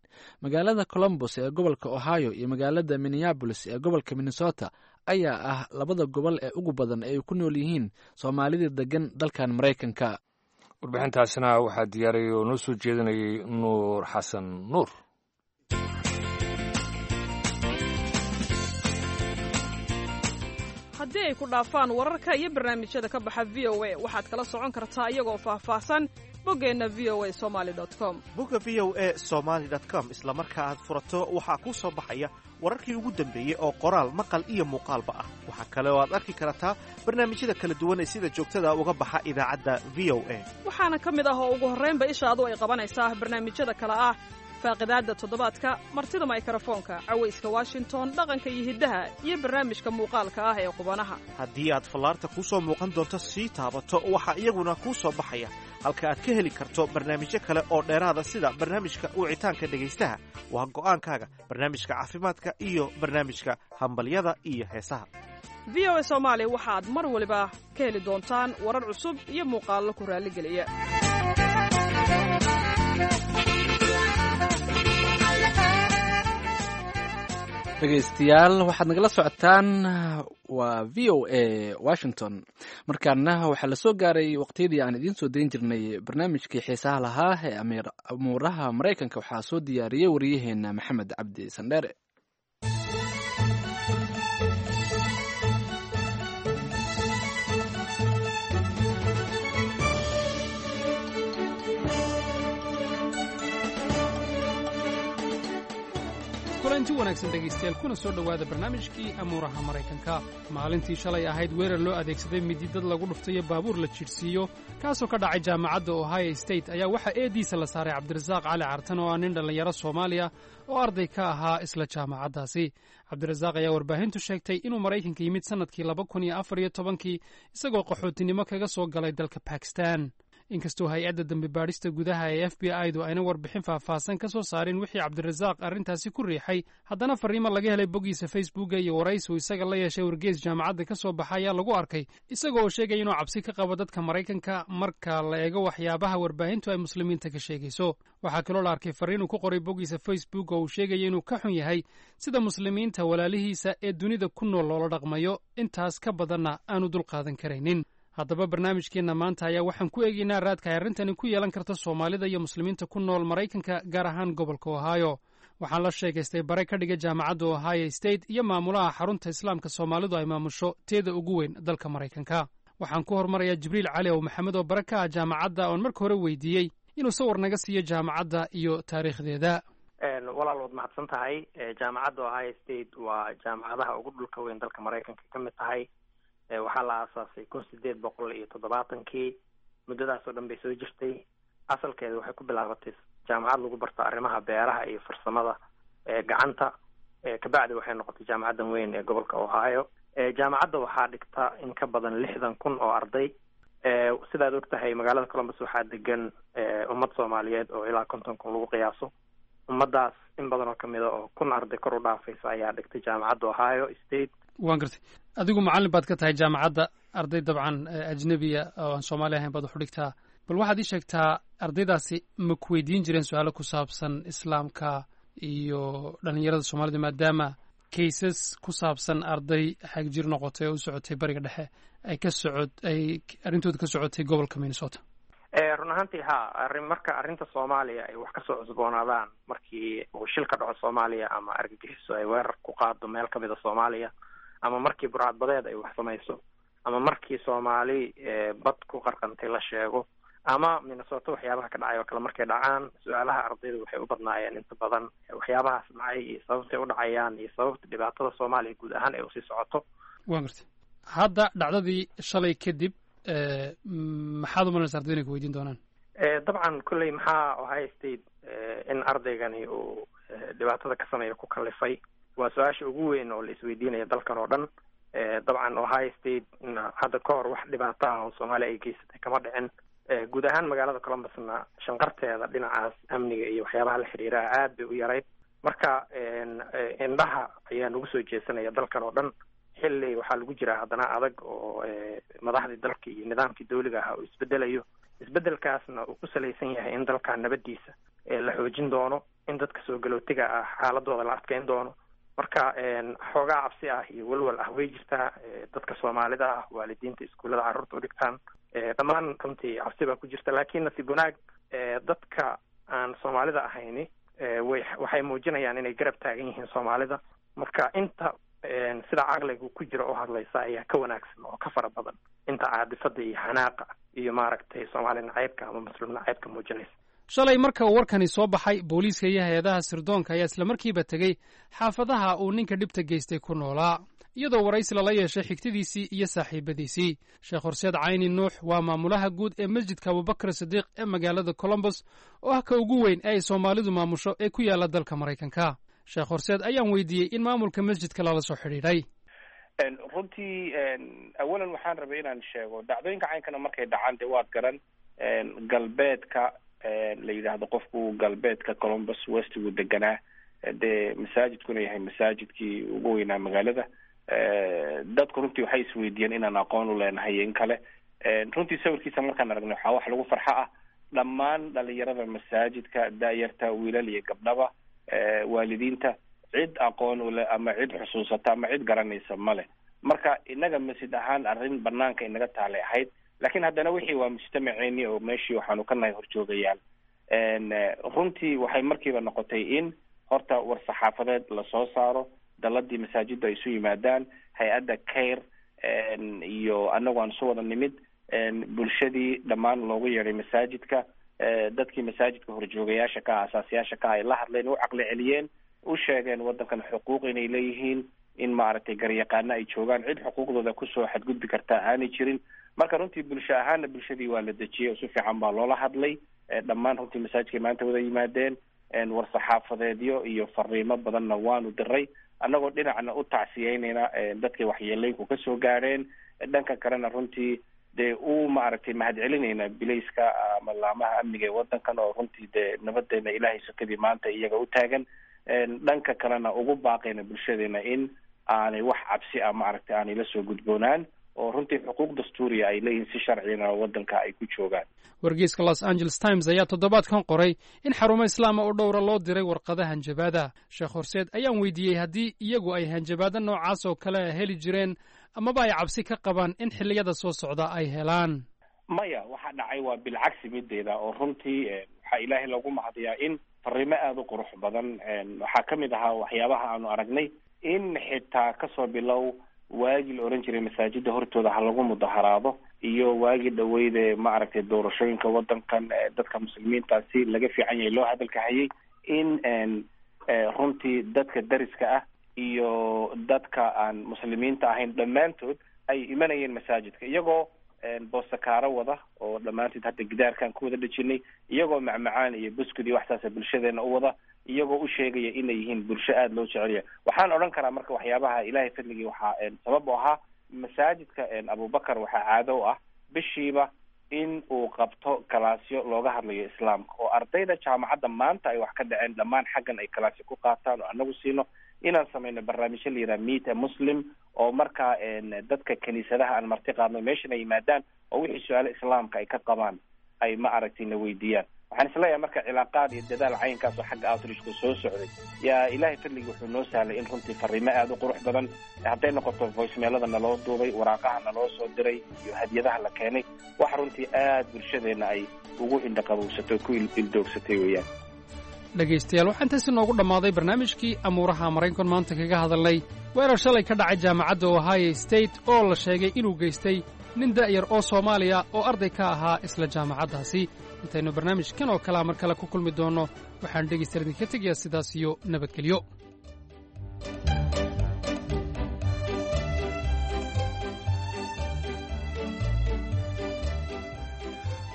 Magaalada Columbus ee gobolka Ohio iyo magaalada Minneapolis ee gobolka Minnesota ayaa ah labada gobol ee ugu badan ee ay ku nool yihiin Soomaalida degan dalkan Maraykanka. Warbixintaasina waxaa diyaariyay oo noo soo jeedinayay Nuur Xasan Nuur. Haddii ay ku dhaafaan wararka iyo barnaamijyada ka baxa VOA, waxaad kala socon kartaa iyagoo faahfaahsan boggeenna voasomali.com. Bogga voasomali.com isla marka aad furato waxaa kuu soo baxaya wararkii ugu dambeeyey oo qoraal, maqal iyo muuqaalba ah. Waxaa kale oo aad arki kartaa barnaamijyada kala duwan ee sida joogtada uga baxa idaacadda VOA. Waxaana ka mid ah oo ugu horraynba ishaadu ay qabanaysaa barnaamijyada kale ah faaqidaadda toddobaadka, martida maykarafoonka, cawayska Washington, dhaqanka iyo hiddaha, iyo barnaamijka muuqaalka ah ee qubanaha. Haddii aad fallaarta kuu soo muuqan doonto sii taabato, waxaa iyaguna kuu soo baxaya halka aad ka heli karto barnaamijyo kale oo dheeraada, sida barnaamijka wicitaanka dhegaystaha, waa go'aankaaga, barnaamijka caafimaadka iyo barnaamijka hambalyada iyo heesaha. VOA Soomaali waxaad mar waliba ka heli doontaan warar cusub iyo muuqaallo ku raalligeliya. Dhegaystayaal, waxaad nagala socotaan waa VOA Washington. Markaana waxaa la soo gaaray waqtiyadii aan idiin soo dayn jirnay barnaamijkii xiisaha lahaa ee amuuraha Maraykanka. Waxaa soo diyaariyey wariyaheena Maxamed Cabdi Sandheere. Kulanti wanaagsan dhegaystayaal, kuna soo dhowaada barnaamijkii amuuraha Maraykanka. Maalintii shalay ahayd weerar loo adeegsaday midi dad lagu dhuftayo baabuur la jidhsiiyo, kaasoo ka dhacay jaamacadda Ohio State, ayaa waxaa eediisa la saaray Cabdirasaaq Cali Cartan oo ah nin dhallinyaro Soomaaliya oo arday ka ahaa isla jaamacaddaasi. Cabdirasaaq ayaa warbaahintu sheegtay inuu Maraykanka yimid sannadkii 2014-kii, isagoo qaxootinimo kaga soo galay dalka Bakistan. Inkastoo hay-adda dembi baadhista gudaha ee FBI du ayna warbixin faahfaahsan ka soo saarin wixii Cabdirasaaq arrintaasi ku riixay, haddana farriimo laga helay boggiisa Facebooka iyo waraysi uu isaga la yeeshay wargees jaamacadda ka soo baxa ayaa lagu arkay isaga oo sheegaya inuu cabsi ka qabo dadka Maraykanka marka la eego waxyaabaha warbaahintu ay muslimiinta ka sheegayso. Waxaa kaloo la arkay farriin uu ku qoray boggiisa Facebook oo uu sheegaya inuu ka xun yahay sida muslimiinta walaalihiisa ee dunida ku nool loola dhaqmayo, intaas ka badanna aanu dulqaadan karaynin. Haddaba barnaamijkeenna maanta ayaa waxaan ku eegaynaa raadka ay arrintani ku yeelan karto Soomaalida iyo muslimiinta ku nool Maraykanka, gaar ahaan gobolka Ohio. Waxaan la sheekaystay bare ka dhiga jaamacadda Ohio State iyo maamulaha xarunta Islaamka Soomaalidu ay maamusho teeda ugu weyn dalka Maraykanka. Waxaan ku hormarayaa Jibriil Cali ow Maxamed oo bare ka ah jaamacadda, oon marka hore weydiiyey inuu sawir naga siiyo jaamacadda iyo taariikhdeeda. Walaal, waad mahadsan tahay. Jaamacadda Ohio State waa jaamacadaha ugu dhulka weyn dalka Maraykanka ka mid tahay. Waxaa la aasaasay 1870-kii. Muddadaas oo dhan bay soo jirtay. Asalkeeda waxay ku bilaabatay jaamacad lagu barto arrimaha beeraha iyo farsamada gacanta. Kabacdi waxay noqotay jaamacaddan weyn ee gobolka Ohio. Jaamacadda waxaa dhigta in ka badan 60,000 oo arday. Sidaad og tahay, magaalada Columbus waxaa degan ummad Soomaaliyeed oo ilaa 50,000 lagu qiyaaso. Ummaddaas in badan oo kamid a oo 1000 arday kor u dhaafaysa ayaa dhigtay jaamacadda Ohio State. Waan gartay. Adigu macallin baad ka tahay jaamacadda, arday dabcan ajnebiya oo aan Soomaali ahayn baad wax u dhigtaa. Bal waxaad ii sheegtaa, ardaydaasi ma ku weydiin jireen su-aalo ku saabsan Islaamka iyo dhalinyarada Soomaalida, maadaama kaysas ku saabsan arday xagjir noqotay oo u socotay Bariga Dhexe ay ka socod ay arrintooda ka socotay gobolka Minnesota? Run ahaantii ha, arrin marka arrinta Soomaaliya ay wax kasoo cusboonaadaan, markii uu shil ka dhaco Soomaaliya ama argagixiso ay weerar ku qaado meel kamid a Soomaaliya, ama markii burcadbadeed ay wax samayso, ama markii Soomaali bad ku qarqantay la sheego, ama Minnesota waxyaabaha ka dhacay oo kale markay dhacaan, su-aalaha ardayda waxay u badnaayeen inta badan waxyaabahaas dhacay iyo sababtay u dhacayaan iyo sababta dhibaatada Soomaaliya guud ahaan ay usii socoto. Waa gartay. Hadda dhacdadii shalay kadib, maxaad u malanaysa ardayda inay ku weydiin doonaan? Dabcan kolley maxaa Ohio State in ardaygani uu dhibaatada ka sameeya ku kalifay waa su-aasha ugu weyn oo la isweydiinaya dalkan oo dhan. Dabcan Ohio State na hadda ka hor wax dhibaato ah oo Soomaaliya ay geysatay kama dhicin. Guud ahaan magaalada Columbusna shanqarteeda dhinacaas amniga iyo waxyaabaha la xiriira aad bay u yarayd. Marka indhaha ayaa nagu soo jeesanaya dalkan oo dhan, xilli waxaa lagu jiraa haddana adag oo madaxdii dalka iyo nidaamkii dawliga ahaa uu isbedelayo, isbedelkaasna uu ku salaysan yahay in dalkan nabadiisa la xoojin doono, in dadka soo galootiga ah xaaladooda la adkeyn doono. Marka xoogaa cabsi ah iyo walwal ah way jirtaa. Dadka Soomaalida ah, waalidiinta iskuullada carruurta u dhigtaan, dhammaan runtii cabsi baa ku jirta. Laakiin nasiib wanaag, dadka aan Soomaalida ahayni way waxay muujinayaan inay garab taagan yihiin Soomaalida. Marka inta sida caqliga ku jira oo hadlaysa ayaa ka wanaagsan oo ka fara badan inta caadifada iyo xanaaqa iyo maaragtay Soomaali nacaybka ama Muslim nacaybka muujinaysa. Shalay marka uu warkani soo baxay, booliiska iyo hay-adaha sirdoonka ayaa islamarkiiba tegey xaafadaha uu ninka dhibta geystay ku noolaa, iyadoo waraysi lala yeeshay xigtadiisii iyo saaxiibadiisii. Sheekh Horseed Cayni Nuux waa maamulaha guud ee Masjidka Abubakar Sidiiq ee magaalada Columbus, oo ah ka ugu weyn ee ay Soomaalidu maamusho ee ku yaalla dalka Maraykanka. Sheekh Horseed ayaan weydiiyey in maamulka masjidka lala soo xidhiidhay. Runtii awalan waxaan rabay inaan sheego, dhacdooyinka caynkana markay dhacaan, dee waad garan, galbeedka la yidhaahdo qofku galbeedka Columbus westigu deganaa, dee masaajidkuna yahay masaajidkii ugu weynaa magaalada. Dadku runtii waxay isweydiiyeen inaan aqoon u leenahay in kale. Runtii sawirkiisa markaan aragnay, waxaa wax lagu farxo ah dhammaan dhalinyarada masaajidka, daayarta, wiilal iyo gabdhaba, waalidiinta, cid aqoon ule ama cid xusuusata ama cid garanaysa male. Marka inaga masjid ahaan arrin banaanka inaga taalay ahayd, laakiin haddana wixii waa mujtamaceeni oo meeshii waxaanu ka nahay horjoogayaal. Runtii waxay markiiba noqotay in horta war saxaafadeed lasoo saaro, daladii masaajiddu ay isu yimaadaan, hay-adda CAIR iyo annagu aan isu wada nimid, bulshadii dhammaan loogu yeedhay masaajidka, dadkii masaajidka horjoogayaasha ka ah, asaasiyaasha ka ah, ay la hadleen, u caqli celiyeen, u sheegeen waddankan xuquuq inay leeyihiin, in maaragtay garyaqaano ay joogaan, cid xuquuqdooda kusoo xadgudbi kartaa aanay jirin. Marka runtii bulsho ahaana bulshadii waa la dejiyey oo si fiican baa loola hadlay. Dhammaan runtii masaajidkay maanta wada yimaadeen. War saxaafadeedyo iyo fariimo badanna waanu diray, annagoo dhinacna u tacsiyeynayna dadkay waxyeelooyinku kasoo gaadheen, dhanka kalena runtii dee u maaragtay mahadcelinayna bilayska ama laamaha amniga ee waddankan, oo runtii dee nabadeena Ilaahay sokadii maanta iyaga u taagan. Dhanka kalena ugu baaqayna bulshadeena in aanay wax cabsi ah maaragtay aanay la soo gudboonaan, oo runtii xuquuq dastuuriya ay leeyihiin, si sharcigana waddanka ay ku joogaan. Wargeyska Los Angeles Times ayaa toddobaadkan qoray in xarumo islaama oo dhowra loo diray warqada hanjabaada. Sheekh Horseed ayaan weydiiyey haddii iyagu ay hanjabaado noocaas oo kale heli jireen amaba ay cabsi ka qabaan in xilliyada soo socda ay helaan. Maya, waxa dhacay waa bilcagsi mideeda, oo runtii waxaa Ilaahay loogu mahadiyaa in fariimo aada u qurux badan. Waxaa ka mid ahaa waxyaabaha aanu aragnay in xitaa kasoo bilow waagii la oran jiray masaajida hortooda ha lagu mudaharaado, iyo waagii dhaweyde maaragtay doorashooyinka waddankan, dadka muslimiinta si laga fiican yahay loo hadalka hayay, in runtii dadka dariska ah iyo dadka aan muslimiinta ahayn dhammaantood ay imanayeen masaajidka, iyagoo boosakaaro wada oo dhammaantood hadda gidaarkan ku wada dhejinay, iyagoo macmacaan iyo buskud iyo waxsaasa bulshadeena u wada, iyagoo u sheegaya inay yihiin bulsho aada loo jecelya. Waxaan odhan karaa marka waxyaabaha Ilaahay fadligii waxaa sabab u ahaa masaajidka Abubakar waxaa caado u ah bishiiba in uu qabto kalaasyo looga hadlayo islaamka, oo ardayda jaamacadda maanta ay wax ka dhaceen dhammaan xaggan ay kalaasyo ku qaataan, oo anagu siino inaan samayno barnaamijyo la yidhaha Meet a Muslim, oo markaa dadka kiniisadaha aan marti qaadno meeshan ay yimaadaan, oo wixii su-aalo islaamka ay ka qabaan ay ma aragtay na weydiiyaan. Waxaan isleeyahay marka cilaaqaad iyo dadaal caynkaas oo xagga outreachku soo socday yaa Ilaahay fadligii wuxuu noo sahlay in runtii fariimo aada u qurux badan, hadday noqoto voicemailada naloo duubay, waraaqaha naloo soo diray iyo hadiyadaha la keenay, wax runtii aada bulshadeenna ay ugu indhaqabowsatay oo ku ildoogsatay weeyaan. Dhegaystayaal, waxaa intaasi noogu dhammaaday barnaamijkii amuuraha Maraykan maanta kaga hadalnay weerar shalay ka dhacay jaamacadda Ohio State oo la sheegay inuu geystay nin da'yar oo Soomaaliya oo arday ka ahaa isla jaamacaddaasi. Intaynu barnaamijkan oo kalea mar kale ku kulmi doonno, waxaan dhegaystayaal idinka tegayaa sidaas iyo nabadgelyo.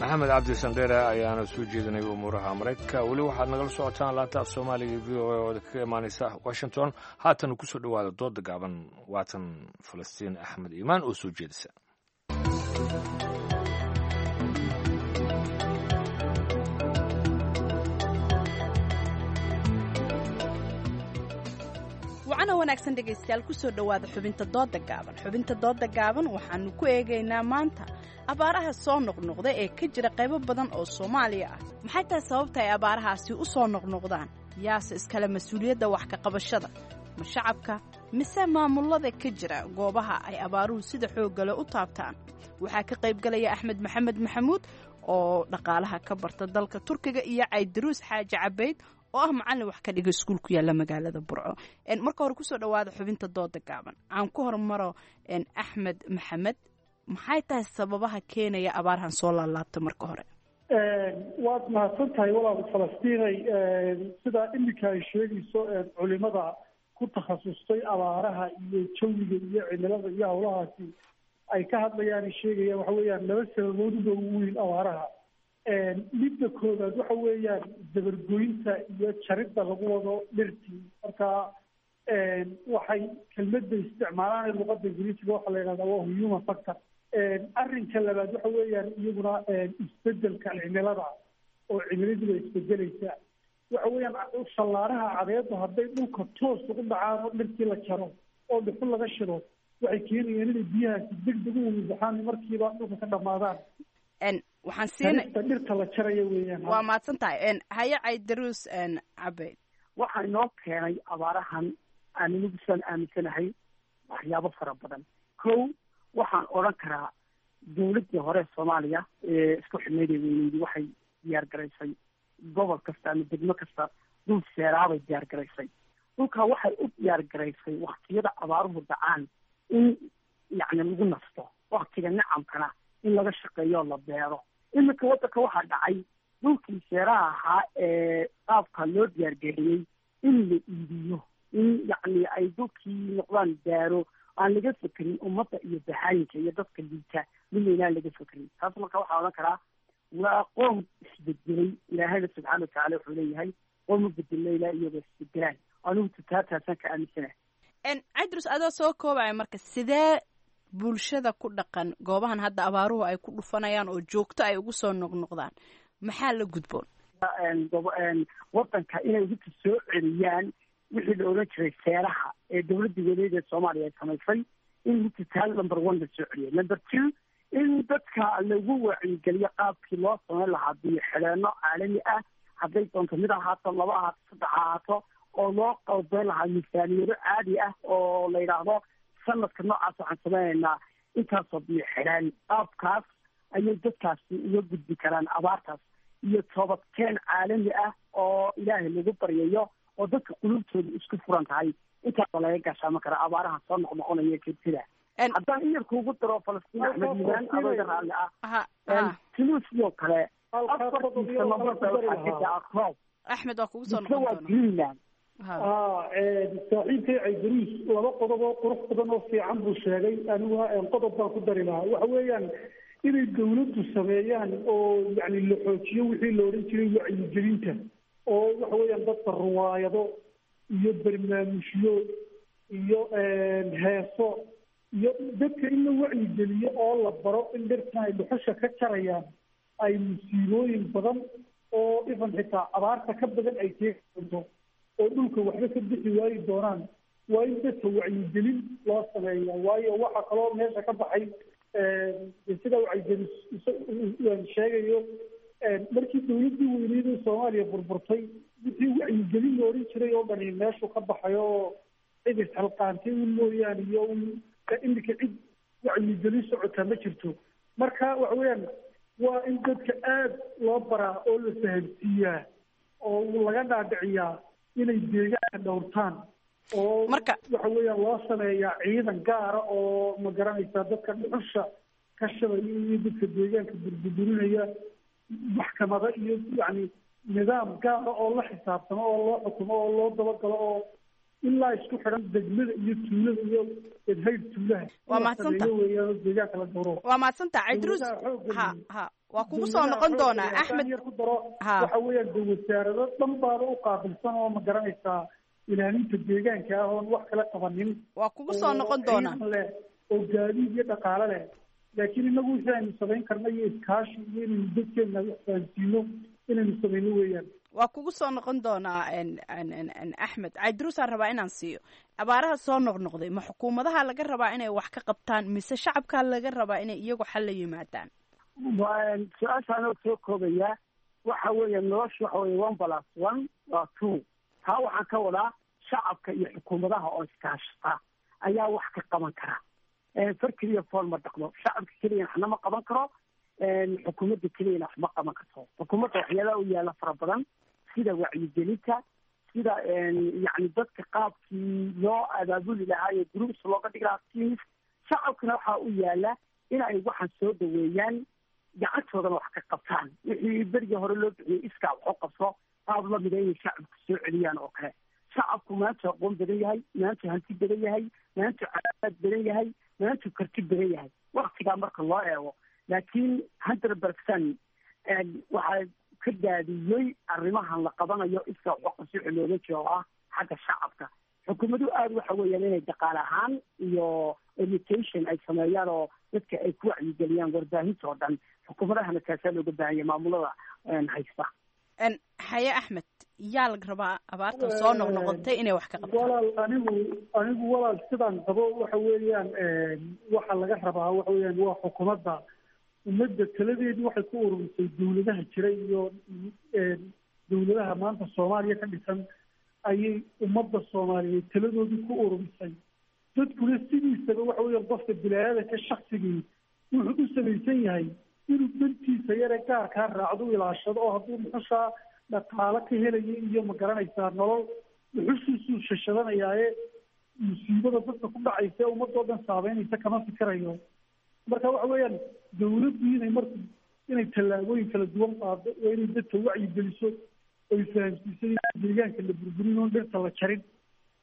Maxamed Cabdi Sandheere ayaana soo jeedinay umuuraha Maraykanka. Weli waxaad nagala socotaan laanta af Soomaaliga V O A oo kaga imaanaysa Washington. Haatan kusoo dhowaada dooda gaaban, waatan Falastiin Axmed Iimaan oo soo jeedisa. Wacana wanaagsan dhegaystayaal, kusoo dhowaada xubinta dooda gaaban. Xubinta dooda gaaban waxaanu ku eegaynaa maanta abaaraha soo noqnoqda ee ka jira qaybo badan oo Soomaaliya ah. Maxay tahay sababta ay abaarahaasi u soo noqnoqdaan? Yaase iskale mas-uuliyadda wax ka qabashada? Ma shacabka mise maamulada ka jira goobaha ay abaaruhu sida xooggale u taabtaan? Waxaa ka qaybgalaya Axmed Maxamed Maxamuud oo dhaqaalaha ka barta dalka Turkiga iyo Caydaruus Xaaji Cabayd oo ah macallin wax ka dhiga iskuul ku yaalla magaalada Burco. Marka hore kusoo dhowaada xubinta dooda gaaban. Aan ku hormaro Axmed Maxamed, maxay tahay sababaha keenaya abaarhan soo laalaabta marka hore? Waad mahadsan tahay walaal Falastiinay. Sida iminka ay sheegayso culimada ku takhasustay abaaraha iyo jawiga iyo cimilada iyo howlahaasi ay ka hadlayaan, sheegayaan waxa weeyaan laba sababood uba ugu weyn abaaraha. Midda koowaad waxa weeyaan dabargoynta iyo jaridda lagu wado dhirtii. Marka waxay kelmadda isticmaalaan luqadda Ingiriisiga waxaa la yidhahdaa waa human factor. Arrinka labaad waxa weeyaan iyaguna isbedelka cimilada, oo cimiladu way isbedelaysaa. Waxa weeyaan fallaaraha cadeedu hadday dhulka toos ugu dhacaan oo dhirtii la jaro oo dhuxul laga shido, waxay keenayaan inay biyahaasi degdeg u weybaxaan, markiiba dhulka ka dhamaadaan. Waxaan siinay dhirta la jaraya weeyaan. Waa mahadsan tahay. Haye Caydaruus Cabeyd. Waxaa inoo keenay abaarahan aan anigu sidaan aaminsanahay waxyaabo fara badan. Kow, waxaan odhan karaa dowladdii hore Soomaaliya ee isku xidhnayd ee weyneydi waxay diyaar garaysay gobol kasta ama degmo kasta dhul seeraabay diyaar garaysay. Dhulkaa waxay u diyaar garaysay waktiyada abaaruhu dhacaan in yacni lagu nasto, waktiga nacamkana in laga shaqeeyo la beero. Iminka waddanka waxaa dhacay dhulkii seeraha ahaa ee qaabka loo diyaargariyey in la iibiyo, in yacni ay dhulkii noqdaan daaro aan laga fekerin ummadda iyo bahayinka iyo dadka liita midna inaan laga fekerin. Taas marka waxaa odhan karaa waa qoom isbedelay. Ilaahayna subxaana watacaala wuxuu leeyahay qoom u bedelna ilaa iyagoo isbedelaan. Anigu tataataasaan ka aaminsanahay. Cadrus, adoo soo koobaya marka, sidee bulshada ku dhaqan goobahan hadda abaaruhu ay ku dhufanayaan oo joogto ay ugu soo noqnoqdaan, maxaa la gudboon? Wadanka inay hubka soo celiyaan wixii la odhan jiray seeraha ee dowladda weleed ee Soomaaliya ay samaysay, in hubka taal number one la soo celiyo. Number two, in dadka lagu wacyigeliyo qaabkii loo samayn lahaa biyo xidheeno caalami ah, hadday doonto mid ahaato, laba ahaato, saddex ahaato, oo loo qalbeyn lahaa miisaaniyado caadi ah oo la yidhaahdo sanadka noocaas waxaan samaynaynaa intaasoo biyo xidhaan. Qaabkaas ayay dadkaasi uga gudbi karaan abaartaas, iyo toobadkeen caalami ah oo Ilaahay lagu baryayo oo dadka qulubtooda isku furan tahay. Intaasa laga gaashaama karaa abaaraha soo noqnoqonaya jirtida. Haddaan in yar kuugu daro Falastiin Axmed Milaan, adoo iga raalli ah, Tunisia oo kale 4-tii sano marba waxaa ka daca roob. Axmed, waa kugu soo Misna noqon waa doona. Greenland. Saaxiibkay Caydaruus laba qodob oo qurux badan oo fiican buu sheegay. Aniguna qodob baan ku dari lahaa. Waxa weeyaan inay dowladdu sameeyaan oo yacni la xoojiyo wixii la odhan jiray wacyigelinta, oo waxa weeyaan dadka ruwaayado iyo barnaamijyo iyo heeso iyo dadka in la wacyigeliyo oo la baro in dhirtan ay dhuxusha ka jarayaan ay musiibooyin badan oo ifan xitaa abaarta ka badan ay keeni doonto, oo dhulka waxba ka bixi waayi doonaan. Waa in dadka wacyigelin loo sameeya, waayo waxa kaloo meesha ka baxay sida wacyigelin sheegayo Markii dowladdii weyneyd ee Soomaaliya burburtay, wixii wacyigelin la oran jiray oo dhani meeshu ka baxay, oo cid isxilqaantay un mooyaane iyo un iminka cid wacyigelin socota ma jirto. Marka waxa weeyaan waa in dadka aada loo baraa oo la fahamsiiyaa oo laga dhaadhiciyaa inay deegaanka dhowrtaan, oo waxa weeyaan loo sameeyaa ciidan gaara oo, ma garanaysaa, dadka dhuxusha ka shadaya iyo dadka deegaanka burburinaya maxkamado iyo yacni nidaam gaara oo la xisaabtamo oo loo xukumo oo loo dabagalo oo ilaa isku xidhan degmada iyo tuulada iyo edhayd tuulaha. Waa mahadsanta. Weeyaan oo deegaanka la dhowro. Waa mahadsanta, Cidruus. Ha, waa kugu soo noqon doonaa, Axmed. Yar ku daro, waxa weeyaan de wasaarado dhan baaba u qaabilsan oo, ma garanaysaa, ilaalinta deegaanka ah oon wax kala qabanin. Waa kugu soo noqon doonaa. Ciidan leh oo gaadiid iyo dhaqaale leh, laakiin inagu wixii aynu samayn karna iyo iskaashi iyo inaynu dadkeena wax fahansiino inaynu samayno weeyaan. Waa kugu soo noqon doonaa, Axmed. Cidruusaan rabaa inaan siiyo. Abaaraha soo noqnoqday, ma xukuumadaha laga rabaa inay wax ka qabtaan mise shacabkaa laga rabaa inay iyagu xal la yimaadaan? Su-aasha anoo soo koobaya, waxa weeye nolosha waxa weye 1 + 1 waa 2. Taa waxaan ka wadaa shacabka iyo xukuumadaha oo iskaashata ayaa wax ka qaban kara. Far keliya fool ma dhaqdo. Shacabka keliyana waxna ma qaban karo, xukuumadda keliyana wax ma qaban karto. Xukuumadda waxyaalaha u yaalla fara badan, sida wacyigelinta, sida yacni dadka qaabkii loo abaabuli lahaa iyo groups looga dhigi lahaa, teams. Shacabkana waxaa u yaala in ay waxaan soo dhaweeyaan, gacantoodana wax ka qabtaan. Wixii berigii hore loo bixiyey iskaa wax u qabso, qaab lamida inay shacabku soo celiyaan oo kale. Shacabku maanta aqoon badan yahay, maanta hanti badan yahay, maanta caafimaad badan yahay, maanta karti badan yahay waktigaa marka loo eego. Laakiin 100% waxaa ka daadiyey arrimahan la qabanayo iskaa wax u qabso wixii looga jeedo oo ah xagga shacabka. Xukuumaduhu aada waxa weeyaan inay dhaqaale ahaan iyo education ay sameeyaan oo dadka ay ku wacyigeliyaan warbaahinta oo dhan. Xukuumadahana taasaa looga baahan yahay, maamulada haysta. Xaye Axmed, yaa laga rabaa abaartan soo noqnoqotay inay wax ka qabtaan? Walaal, anigu walaal sidaan qabo waxa weeyaan waxa laga rabaa waxa weeyaan waa xukuumadda. Ummadda taladeedii waxay ku ururisay dowladaha jira iyo dowladaha maanta Soomaaliya ka dhisan ayay ummadda Soomaaliyeed taladoodii ku ururisay. Dadkuna sidiisaba waxa weeyaan qofka bilaadanka shaksigii wuxuu u samaysan yahay inuu dantiisa yare gaarkaa raacdo, u ilaashado, oo hadduu dhuxushaa dhaqaalo ka helaya iyo, ma garanaysaa, nolol, dhuxushiisuu shashadanayaaye musiibada dadka ku dhacaysa ee ummadoo dhan saameynaysa kama fikirayo. Marka waxa weeyaan dowladdu inay marka inay tallaabooyin kala duwan qaado oo inay dadka wacyi geliso oy fahamsiiso in deegaanka la burburin oon dhirta la jarin,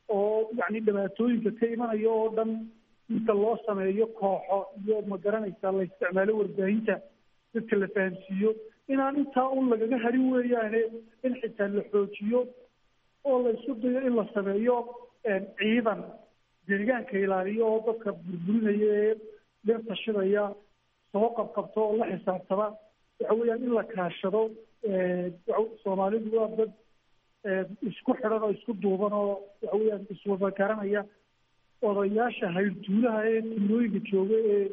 oo yacni dhibaatooyinka ka imanaya oo dhan inta loo sameeyo kooxo iyo, ma garanaysaa, la isticmaalo warbaahinta, dadka la fahamsiiyo inaan intaa un lagaga harin weeyaane, in xitaa la xoojiyo oo la isku dayo in la sameeyo ciidan deegaanka ilaaliyo oo dadka burburinaya ee dhirta shidaya soo qabqabto oo la xisaabtama. Waxa weeyaan in la kaashado. Soomaalidu waa dad isku xidhan oo isku duuban oo waxa weeyaan iswada garanaya. Odayaasha hayrtuulaha ee tuulooyinka jooga ee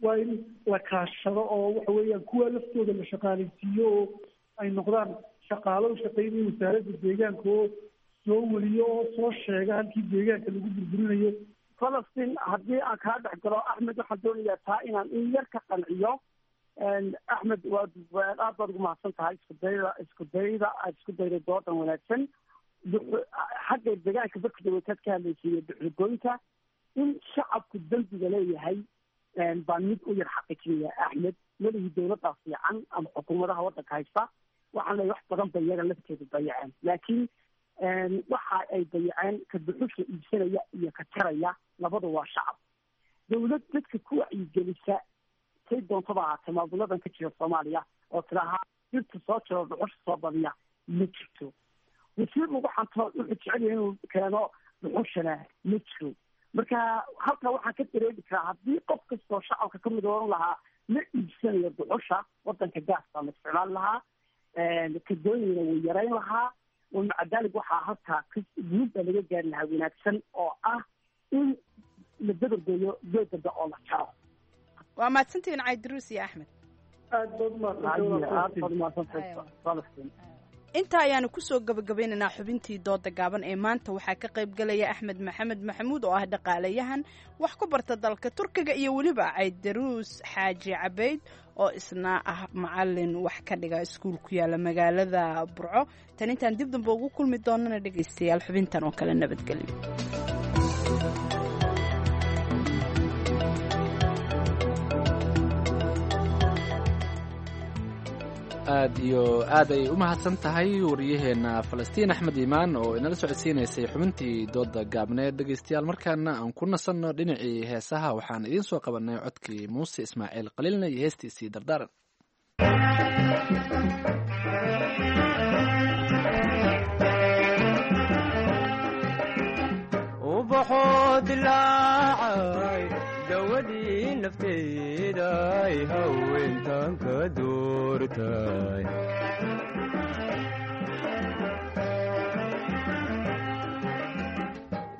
waa in la kaashado, oo waxa weeyaan kuwa laftooda la shaqaalaysiiyo oo ay noqdaan shaqaalo u shaqeynaya wasaaradda deegaanka oo soo weliyo oo soo sheega halkii deegaanka lagu burburinayo. Falastiin, haddii aan kaa dhex galo Axmed, waxaan doonayaa taa inaan in yar ka qanciyo Axmed. Waa aad baad ugu mahadsan tahay isku dayda aad isku dayday doodan wanaagsan. Xagga deegaanka barka dawataad ka hadlaysiiyo dhuxulgoynta, in shacabku dembiga leeyahay baan mid u yar xaqiijinaya, Axmed. Weligii dawladdaa fiican ama xukuumadaha waddanka haysta waxaan leeyahay wax badan bay iyaga lafteedu dayaceen, laakiin waxa ay dayaceen ka dhuxusha iibsanaya iyo ka jaraya labadu waa shacab. Dawlad dadka ku wacyigelisa say doontaba ahaatee maamuladan ka jira Soomaaliya oo tidaahaa dhirta soo jiro, dhuxusha soo badiya, ma jirto. Wasiir lagu xanto wuxuu jecel yahay inuu keeno dhuxushana ma jiro. Marka halkaa waxaan ka dareemi karaa haddii qof kastoo shacabka kamid oran lahaa ma iibsanayo dhuxusha, wadanka gaas baa la isticmaali lahaa, kadooyina way yarayn lahaa. Wamaca daalik waxaa halkaa guul baa laga gaari lahaa wanaagsan oo ah in la dabargeeyo geedada oo la jaro. Waa mahadsantihiin, Caydiruus iyo Axmed. Aad baad umahadsantahay Falastiin. Intaa ayaanu kusoo gabagabeynaynaa xubintii dooda gaaban ee maanta. Waxaa ka qayb galaya Axmed Maxamed Maxamuud oo ah dhaqaalayahan wax ku barta dalka Turkiga, iyo weliba Caydaruus Xaaji Cabayd oo isna ah macalin wax ka dhiga iskuul ku yaala magaalada Burco. Tan intaan dib dambe ugu kulmi doonana, dhegaystayaal, xubintan oo kale nabadgelyo. Aad iyo aad ay u mahadsan tahay wariyaheenna Falastiin Axmed Iimaan oo inala socodsiinaysay xubintii dooda gaabneed. Dhegaystayaal, markaana aan ku nasanno dhinacii heesaha. Waxaan idiin soo qabanay codkii Muuse Ismaaciil Qaliilna iyo heestiisii Dardaaran. Ubaxoo dilaacay, dawadii nafteeday, haweentan ka doortay.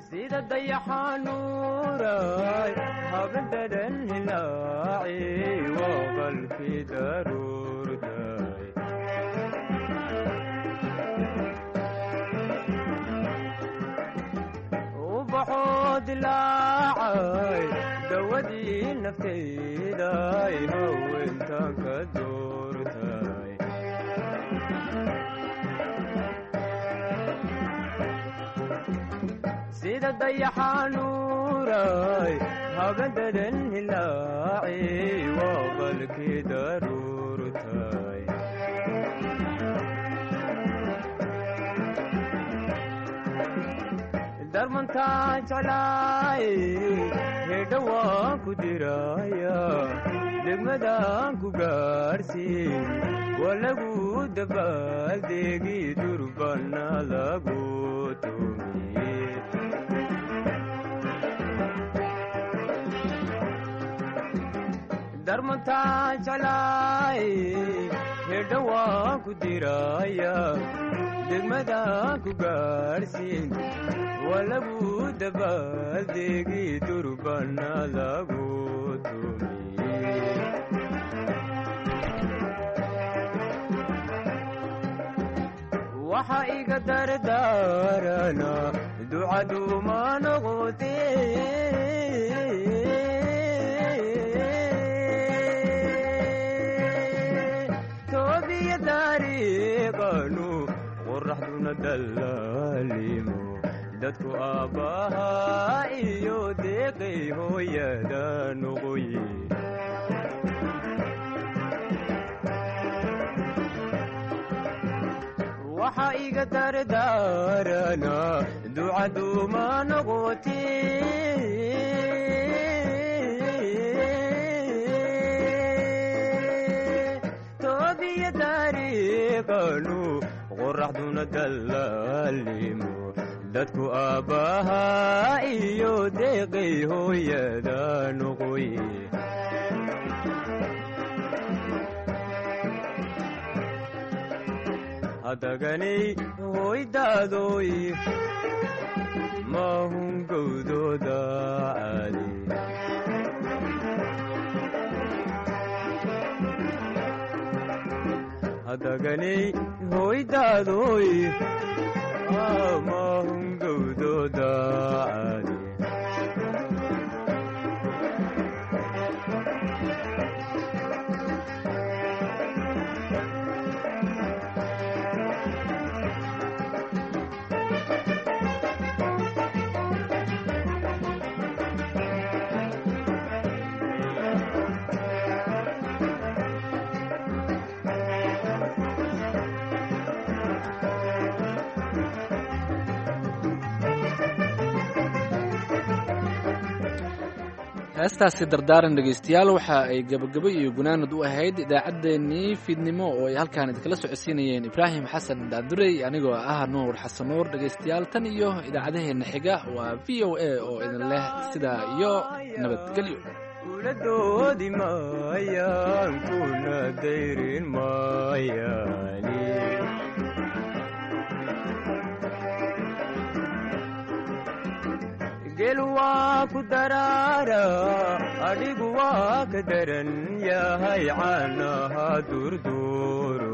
Sida dayaxanuuray habadadan hilaaci, waa qalfi daruurtay. Ubaxoo dilaacay, dawadii nafteeday, haweentan ka doortay. Sida dayaxanuuray habadadan hilaaci, waa qalkii daruurtay. Darmantaa jeclaay, hedha waan ku diraya, degmadaan ku gaadhsiin, waa lagu dabaaldegi, durbana lagu tumiye. Darmantaa jeclaay, hedha waan ku diraya, degmadaan ku gaadhsiin, waa lagu dabaaldegi, durbana lagu tumiye. Waxa iga dardaarana ducaduma noqote. Toobiya dariiqanu qoraxduna dallaalimo, dadku aabbaha iyo deeqay hooyada noqoye. Waxa iga dardaarana ducaduma noqote. Toobiya dariiqanu qoraxduna dallaalimo, dadku aabbaha iyo deeqay hooyada noqoye. Hadaganay hoydaadoy mahungowdooda caadi. Hadaganay hoydaadoy mahungowdooda caadi. Heestaasi Dardaaran, dhegaystayaal, waxa ay gabagabo iyo gunaanad u ahayd idaacaddeenii fiidnimo oo ay halkaan idinkala socodsiinayeen Ibraahim Xasan Daadurey, anigoo ah Nuur Xasan Nuur. Dhegaystayaal, tan iyo idaacadaheenna xiga, waa VOA oo idin leh sidaa iyo nabadgelyo. Kula doodi maayaan, kuna dayrin maayaan. Geel waa ku daraara, adhigu waa ka daran yahay caanaha durduuro.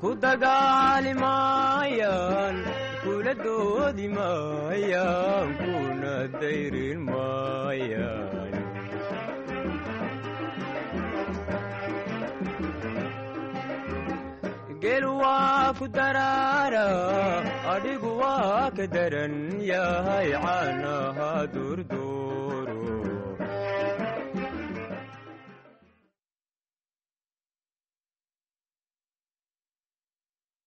Ku dagaali maayaan, kula doodi maayaan, kuna dayrin maayaan. Geel waa ku daraara, adhigu waa ka daran yahay caanaha durduuro.